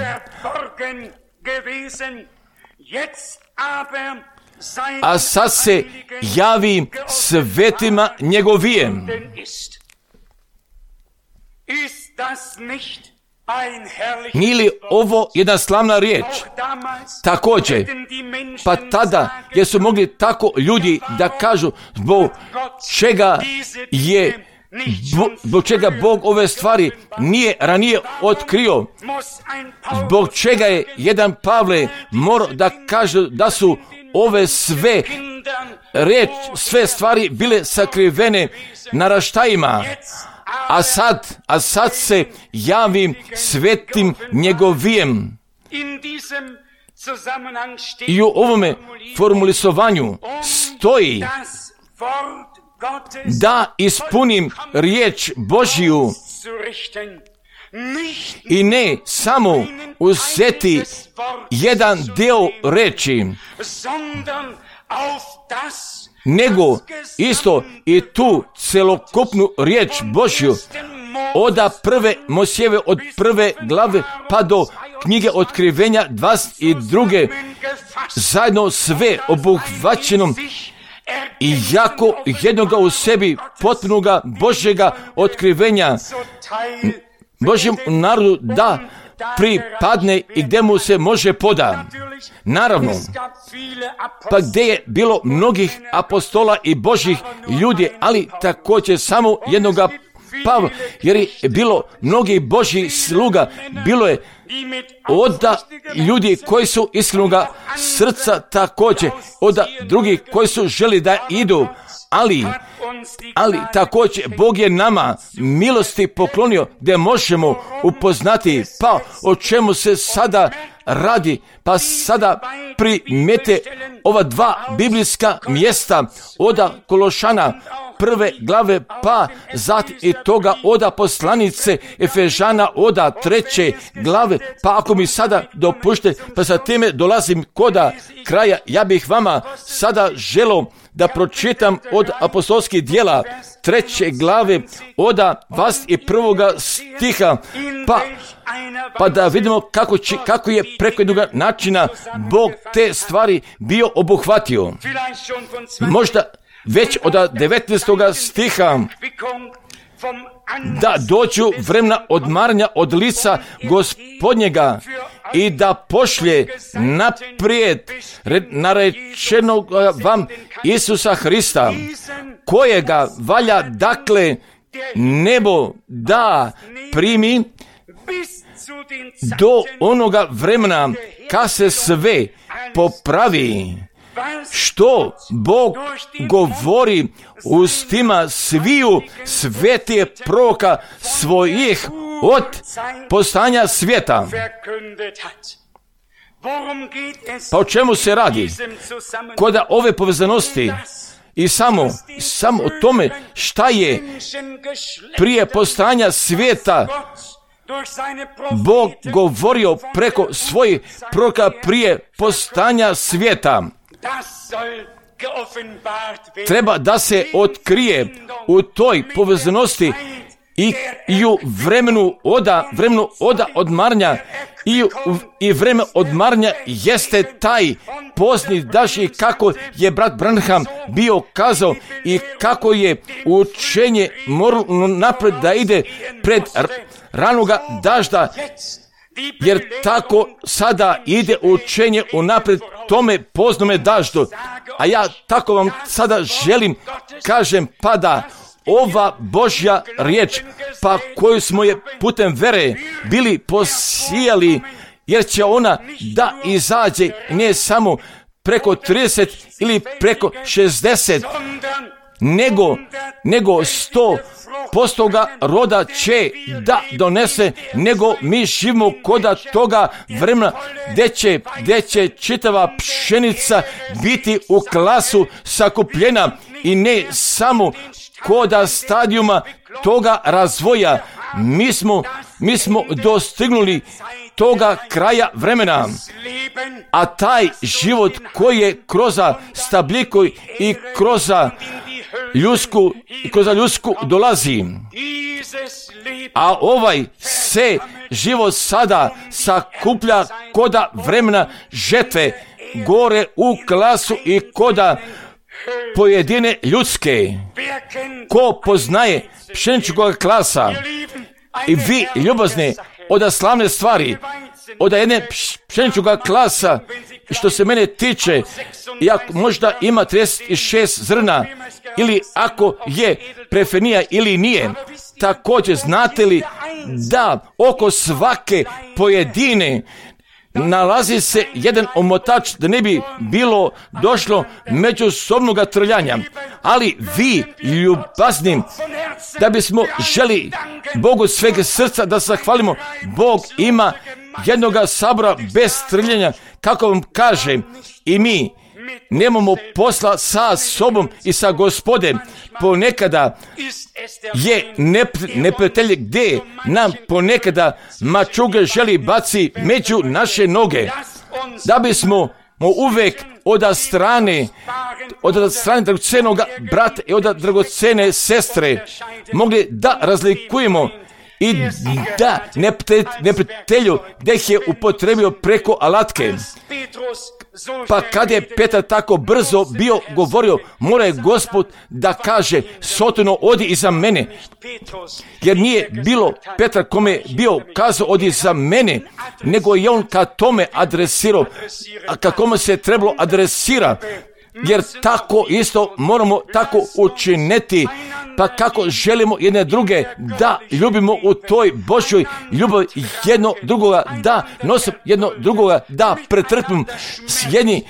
a sad se javi svetima njegovijem. Nije li ovo jedna slavna riječ? Također, pa tada jer su mogli tako ljudi da kažu zbog čega Bog ove stvari nije ranije otkrio, zbog čega je jedan Pavle morao da kaže da su ove sve stvari bile sakrivene naraštajima, a sad se javim svetim njegovijem. I u ovome formulisovanju stoji da ispunim riječ Božju i ne samo uzeti jedan dio reči, nego isto i tu celokupnu riječ Božju od prve Mojsijeve, od prve glave pa do knjige Otkrivenja 22. zajedno sve obuhvaćenom i jako jednoga u sebi potpunoga Božjega otkrivenja Božjem narodu da pripadne i gdje mu se može poda. Naravno, pa gdje je bilo mnogih apostola i Božjih ljudi, ali također samo jednoga Pavla, jer je bilo mnogih Božjih sluga, bilo je od ljudi koji su iskrenoga srca također, od drugih koji su želi da idu, ali također Bog je nama milosti poklonio gdje možemo upoznati pa o čemu se sada radi, pa sada primete ova dva biblijska mjesta od Kološana prve glave pa zatim i toga od poslanice Efežana od 3. glave, pa ako mi sada dopušte, pa sa time dolazim koda kraja, ja bih vama sada želio da pročitam od apostolskih djela 3. glave od 21. stiha, pa da vidimo kako je preko jednog načina Bog te stvari bio obuhvatio. Možda već od 19. stiha, da dođu vremena odmaranja od lica Gospodnjega i da pošlje naprijed narečenog vam Isusa Hrista, kojega valja dakle nebo da primi do onoga vremena kad se sve popravi, što Bog govori ustima sviju svetih proroka svojih od postanja svijeta. Pa o čemu se radi? Kod ove povezanosti i samo o tome šta je prije postanja svijeta Bog govorio preko svojih proroka prije postanja svijeta. Treba da se otkrije u toj povezanosti i u vremenu oda odmaranja i vreme odmaranja jeste taj pozni daži kako je brat Branham bio kazao i kako je učenje moralo napred da ide pred ranoga dažda, jer tako sada ide učenje unapred tome poznome daždu. A ja tako vam sada želim, kažem, pada ova Božja riječ, pa koju smo je putem vere bili posijali, jer će ona da izađe ne samo preko 30 ili preko 60, nego 100% roda će da donese, nego mi živimo koda toga vremena gdje će čitava pšenica biti u klasu sakupljena i ne samo koda stadijuma toga razvoja. Mi smo dostignuli toga kraja vremena, a taj život koji je kroz stabljiku i kroz ljudsku dolazi, a ovaj se život sada sakuplja koda vremena žetve gore u klasu i koda pojedine ljudske. Ko poznaje pšeničkog klasa i vi ljubazni od slavne stvari, od jedne pšeničkog klasa, što se mene tiče, ako možda ima 36 zrna, ili ako je prefenija ili nije, također znate li da oko svake pojedine nalazi se jedan omotač da ne bi bilo došlo međusobnog trljanja. Ali vi ljubaznim, da bismo želi Bogu sveg srca da zahvalimo, Bog ima jednoga sabora bez trljanja, kako vam kaže, i mi nemamo posla sa sobom i sa Gospodem. Ponekada je neprijatelj gdje nam ponekada mačuge želi baci među naše noge, da bismo uvijek od strane dragocenog brata i od dragocene sestre mogli da razlikujemo i da neprijatelju gdje ih je upotrebio preko alatke. Pa kad je Petar tako brzo bio govorio, mora je Gospod da kaže, Sotono, odi iza mene, jer nije bilo Petar kome je bio kazao odi iza mene, nego je on ka tome adresirao, a kako se trebalo adresira, jer tako isto moramo tako učiniti. Pa kako želimo jedne druge da ljubimo u toj Božjoj ljubavi, jedno drugoga da nosimo, jedno drugoga da pretrpimo, jedni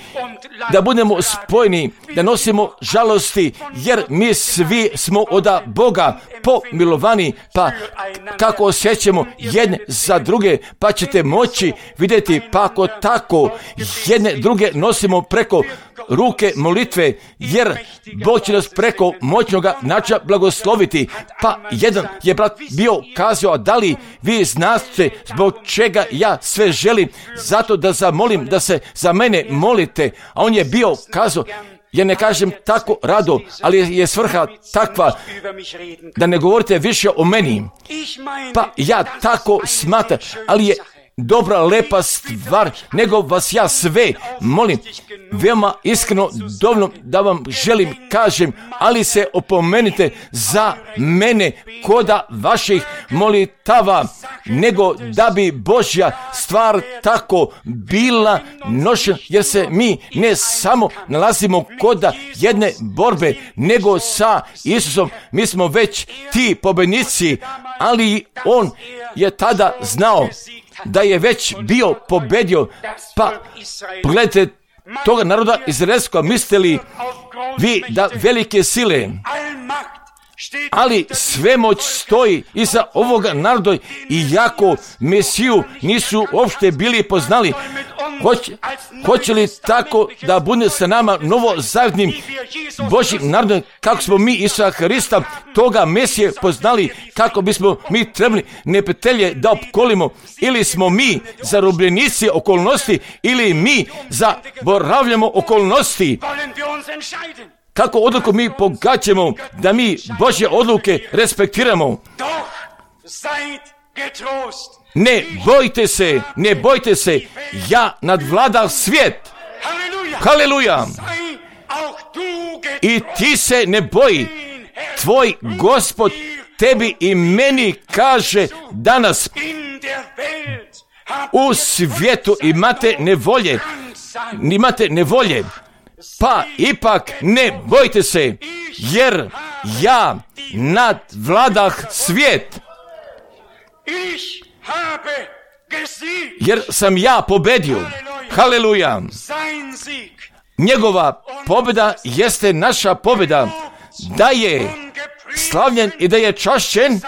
da budemo spojeni, da nosimo žalosti, jer mi svi smo od Boga pomilovani, pa kako osjećamo jedne za druge, pa ćete moći vidjeti, pa ako tako jedne druge nosimo preko ruke molitve, jer Bog će nas preko moćnoga načina blagosloviti. Pa jedan je brat bio kazao, da li vi znate zbog čega ja sve želim, zato da zamolim da se za mene molite, a on je bio kazao, ja ne kažem tako rado, ali je svrha takva da ne govorite više o meni. Pa ja tako smatram, ali je dobra, lepa stvar, nego vas ja sve molim, veoma iskreno, dovoljno da vam želim kažem, ali se opomenite za mene koda vaših molitava, nego da bi Božja stvar tako bila nošena, jer se mi ne samo nalazimo koda jedne borbe, nego sa Isusom, mi smo već ti pobjednici, ali on je tada znao da je već bio pobedio. Pa pogledajte toga naroda izraelskog, mislite li vi da velike sile, ali svemoć stoji iza ovoga naroda, i jako Mesiju nisu uopšte bili poznali, Hoće li tako da bude sa nama novozavjetnim Božjim narodom, kako smo mi Isusa Hrista, toga Mesije poznali, kako bismo mi trebali neprijatelje da opkolimo, ili smo mi zarobljenici okolnosti, ili mi zaboravljamo okolnosti. Kako odluku mi pogađamo, da mi Božje odluke respektiramo. Ne bojte se, ja nadvladam svijet. Haleluja! I ti se ne boji. Tvoj Gospod tebi i meni kaže danas: u svijetu imate nevolje, pa ipak ne bojte se, jer ja nadvladah svijet. Jer sam ja pobedio. Haleluja! Njegova pobjeda jeste naša pobjeda. Da je slavljen i da je čašćen,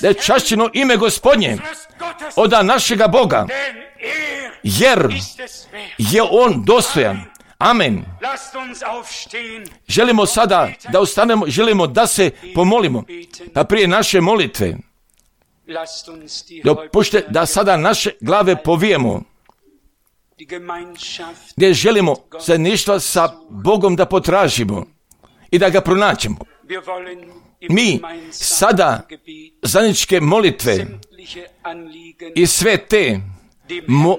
da je čašćeno ime Gospodnje od našega Boga, jer je on dostojan. Amen. Želimo sada da ustanemo, želimo da se pomolimo. Pa prije naše molitve, dopušte da sada naše glave povijemo, gdje želimo zajedništva sa Bogom da potražimo i da ga pronaćemo. Mi sada zajedničke molitve i sve te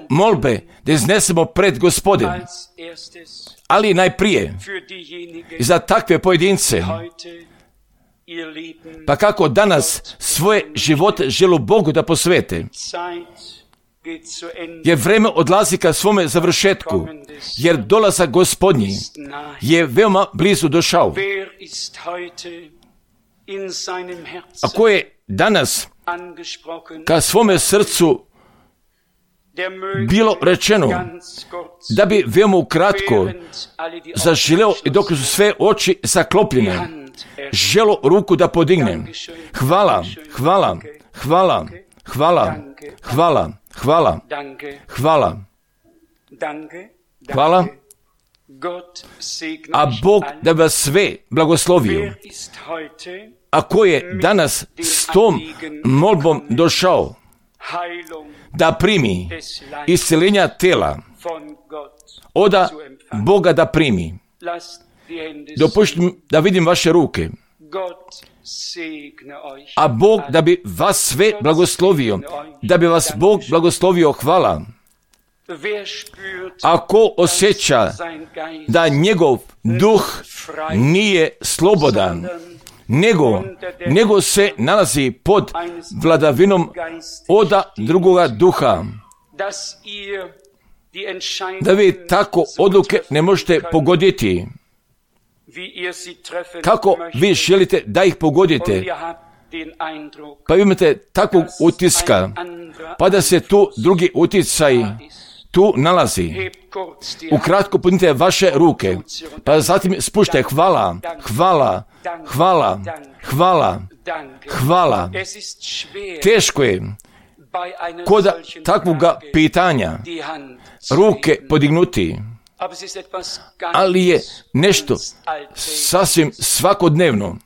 molbe da iznesemo pred Gospodin, ali najprije za takve pojedince, pa kako danas svoje živote žele Bogu da posvete, jer vreme odlazi ka svome završetku, jer dolazak Gospodnji je veoma blizu došao. A ko je danas ka svome srcu bilo rečeno da bi veoma ukratko zaželeo, i dok su sve oči zaklopljene, želo ruku da podigne. Hvala. A Bog da vas sve blagoslovio. A ko je danas s tom molbom došao da primi isceljenja tela od Boga, da primi. Dopuštim da vidim vaše ruke. A Bog da bi vas sve blagoslovio, da bi vas Bog blagoslovio. Hvala. Ako osjeća da njegov duh nije slobodan, nego se nalazi pod vladavinom od drugoga duha, da vi tako odluke ne možete pogoditi kako vi želite da ih pogodite, pa imate takvog utiska, pa da se tu drugi uticaj tu nalazi. Ukratko podignite vaše ruke, pa zatim spušte hvala. Teško je kod takvoga pitanja ruke podignuti, ali je nešto sasvim svakodnevno.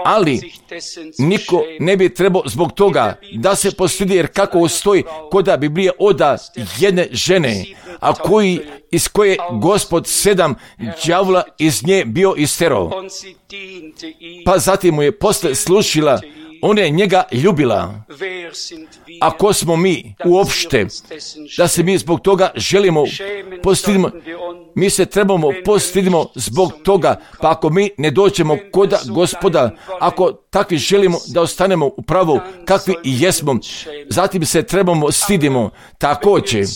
Ali niko ne bi trebao zbog toga da se postidi, jer kako stoji kod Biblije od jedne žene, a iz koje Gospod 7 đavola iz nje bio isterao. Pa zatim mu je posle slušila, ona je njega ljubila. A ko smo mi uopšte da se mi zbog toga želimo postidimo? Mi se trebamo postidimo zbog toga, pa ako mi ne dođemo kod Gospoda, ako takvi želimo da ostanemo u pravu kakvi i jesmo, zatim se trebamo stidimo također.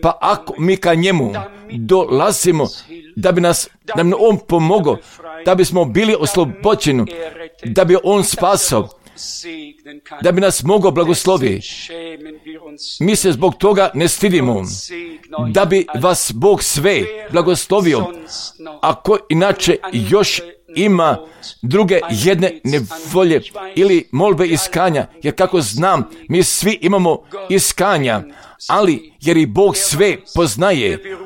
Pa ako mi ka njemu dolazimo da bi nam on pomogao, da bismo bili oslobođeni, da bi on spasao, da bi nas mogao blagosloviti, mi se zbog toga ne stidimo, da bi vas Bog sve blagoslovio. Ako inače još ima druge jedne nevolje ili molbe iskanja, jer kako znam, mi svi imamo iskanja, ali jer i Bog sve poznaje,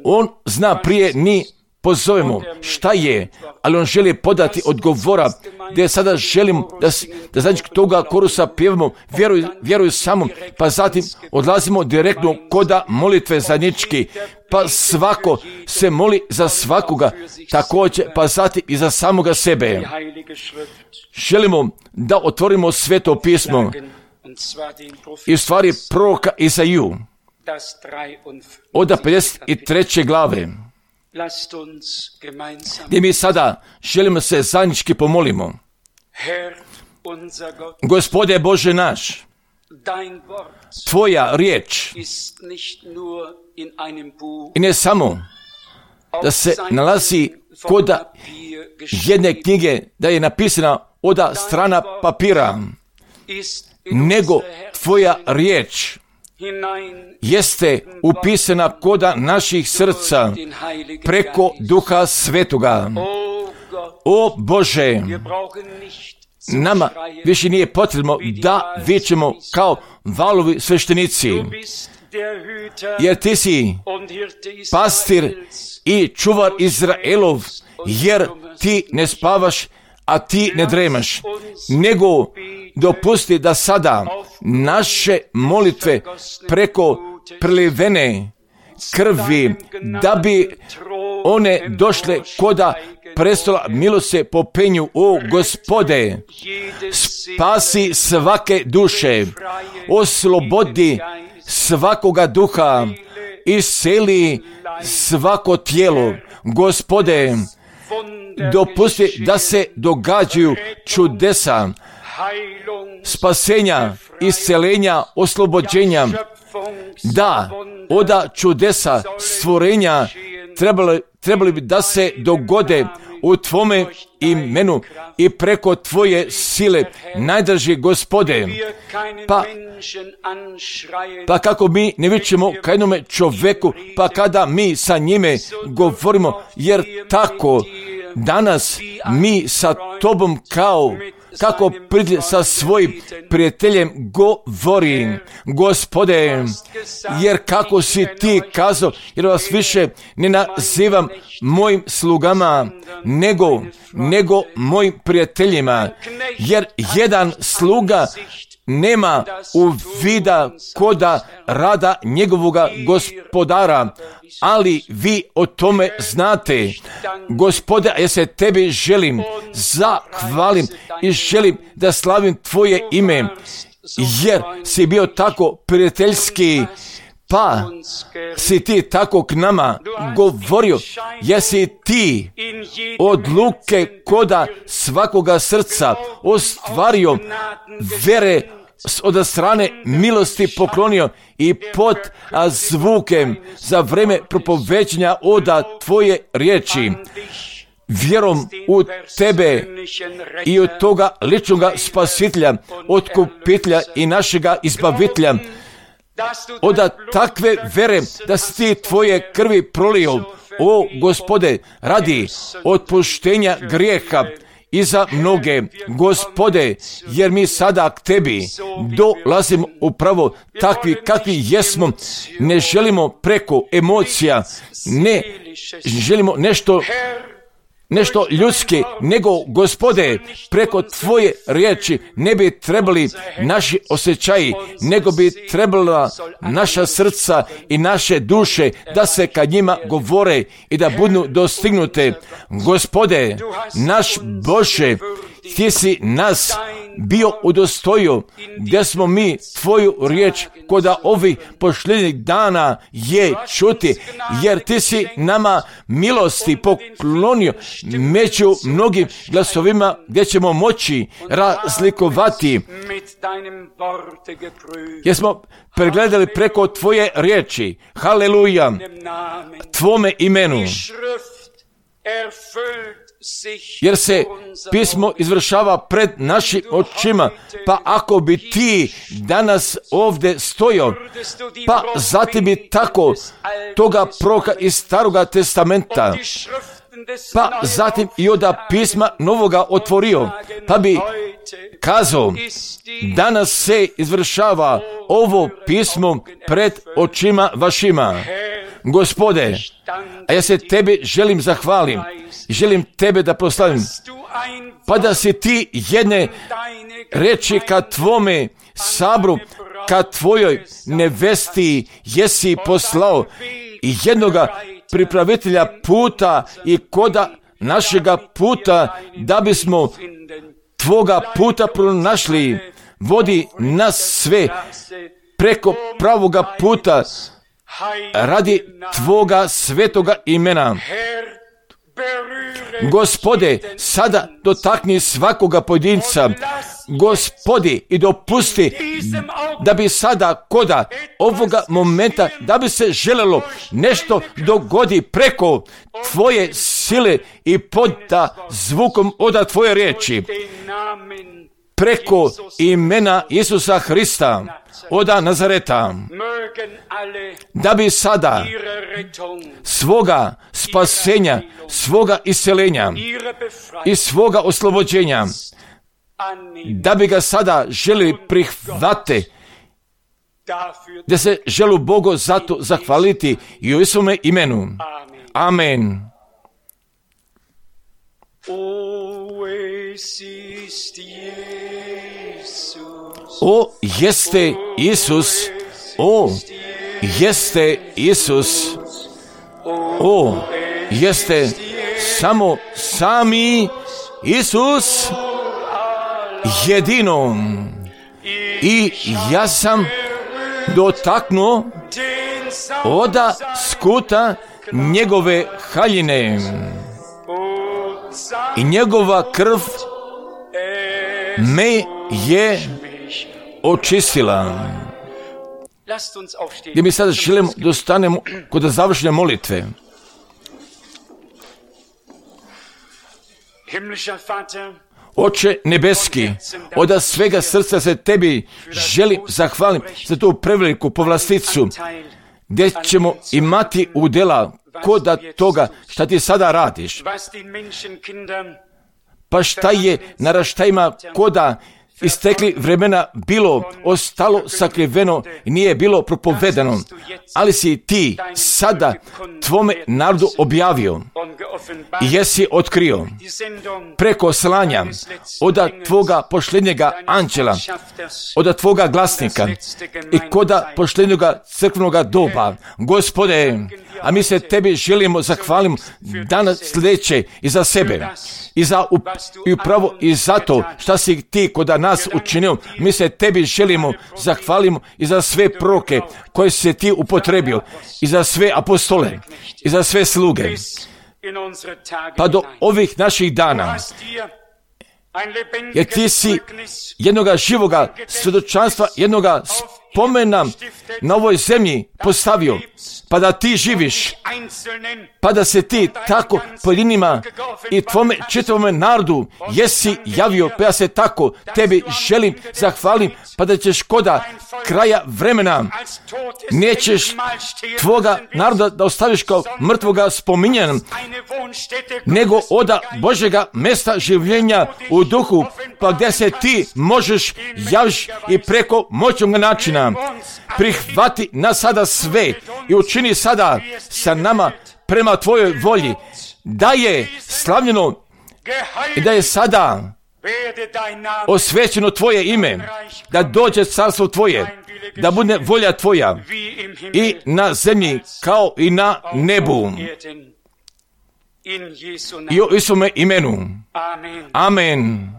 On zna prije ni pozovemo šta je, ali On želi podati odgovora, gdje sada želim da zajednički toga korusa pjevamo, vjeruju samo, pa zatim odlazimo direktno koda molitve zajednički, pa svako se moli za svakoga, također pa zatim i za samoga sebe. Želimo da otvorimo Sveto pismo i u stvari proroka Izaiju od 53. glave, gdje mi sada želimo se zajednički pomolimo. Gospode Bože naš, Tvoja riječ i ne samo da se nalazi koda jedne knjige, da je napisana oda strana papira, nego Tvoja riječ jeste upisana koda naših srca preko Duha Svetoga. O Bože, nama više nije potrebno da vičemo kao valovi sveštenici, jer Ti si pastir i čuvar Izraelov, jer Ti ne spavaš, a Ti ne dremaš, nego dopusti da sada naše molitve preko prelivene krvi, da bi one došle koda prestola milosti po penju. O Gospode, spasi svake duše, oslobodi svakoga duha, isceli svako tijelo. Gospode, dopusti da se događaju čudesa, spasenja, iscelenja, oslobođenja, da oda čudesa stvorenja trebali bi da se dogode u Tvome imenu i preko Tvoje sile, najdraži Gospode. Pa kako mi ne vičemo ka jednome čoveku, pa kada mi sa njime govorimo, jer tako danas mi sa Tobom kako sa svojim prijateljem govori, Gospode, jer kako si Ti kazao, jer vas više ne nazivam mojim slugama, nego mojim prijateljima, jer jedan sluga nema uvida koda rada njegovoga gospodara, ali vi o tome znate. Gospode, ja se Tebi želim zahvalim i želim da slavim Tvoje ime, jer si bio tako prijateljski, pa si Ti tako k nama govorio, jesi Ti odluke koda svakoga srca ostvario, vere od strane milosti poklonio i pod zvukem za vreme propoveđenja oda Tvoje riječi, vjerom u Tebe i od toga ličnoga spasitelja, otkupitelja i našega izbavitelja, od takve vere da si Ti Tvoje krvi prolio, o Gospode, radi otpuštenja grijeha i za mnoge, Gospode, jer mi sada k Tebi dolazimo upravo takvi kakvi jesmo. Ne želimo preko emocija, ne želimo nešto ljudski, nego Gospode, preko Tvoje riječi ne bi trebali naši osjećaji, nego bi trebala naša srca i naše duše da se kad njima govore i da budu dostignute. Gospode, naš Bože, Ti si nas bio udostojio, gdje smo mi Tvoju riječ koda ovih posljednjih dana je čuti, jer Ti si nama milosti poklonio među mnogim glasovima gdje ćemo moći razlikovati. Jer smo pregledali preko Tvoje riječi, haleluja, Tvome imenu, jer se pismo izvršava pred našim očima. Pa ako bi Ti danas ovdje stojao, pa zatim bi tako toga proroka iz Staroga testamenta pa zatim i oda pisma novoga otvorio, pa bi kazao, danas se izvršava ovo pismo pred očima vašima. Gospode, a ja se Tebe želim zahvalim, želim Tebe da proslavim, pa da si Ti jedne reči ka Tvome sabru, ka Tvojoj nevesti jesi poslao i jednoga pripravitelja puta i koda našega puta, da bismo Tvoga puta pronašli. Vodi nas sve preko pravoga puta radi Tvoga svetoga imena. Gospode, sada dotakni svakoga pojedinca, Gospodi, i dopusti da bi sada koda ovoga momenta, da bi se želelo nešto dogodi preko Tvoje sile i poda zvukom oda Tvoje riječi, preko imena Isusa Hrista, oda Nazareta, da bi sada svoga spasenja, svoga isceljenja i svoga oslobođenja, da bi ga sada želi prihvate, da se želu Bogu zato zahvaliti i u Isuse imenu. Amen. O, jeste Isus, o, jeste Isus, o, jeste samo sami Isus jedino. I ja sam dotaknuo oda skuta njegove haljine i njegova krv me je očistila. Gdje mi sada želimo da ostanemo kod završne molitve. Oče nebeski, od svega srca se Tebi želim zahvalim za tu preveliku povlasticu, gdje ćemo imati udjela koda toga šta Ti sada radiš. Pa šta je naraštajima koda istekli vremena bilo ostalo sakriveno i nije bilo propovedano, ali si Ti sada Tvome narodu objavio i jesi otkrio preko slanja od Tvoga pošljenjega anđela, od Tvoga glasnika i koda pošljenjega crkvenoga doba. Gospode, a mi se Tebi želimo zahvalimo danas sljedeće i za sebe i upravo i zato šta si Ti koda nas učinio. Mi se Tebi želimo zahvalimo i za sve proroke koje si Ti upotrebio i za sve apostole i za sve sluge. Pa do ovih naših dana, jer Ti si jednoga živoga svjedočanstva, jednoga spomena na ovoj zemlji postavio, pa da Ti živiš, pa da se Ti tako pojedinima i Tvome čitavome narodu jesi javio, pa ja se tako Tebi želim zahvalim, pa da ćeš koda kraja vremena nećeš Tvoga naroda da ostaviš kao mrtvoga spominjan, nego oda Božjega mesta življenja u duhu, pa gdje se Ti možeš javiš i preko moćnog načina. Prihvati nas sada sve i učini sada sa nama prema Tvojoj volji, da je slavljeno i da je sada osvećeno Tvoje ime, da dođe carstvo Tvoje, da bude volja Tvoja i na zemlji kao i na nebu. I u Isuse imenu. Amen.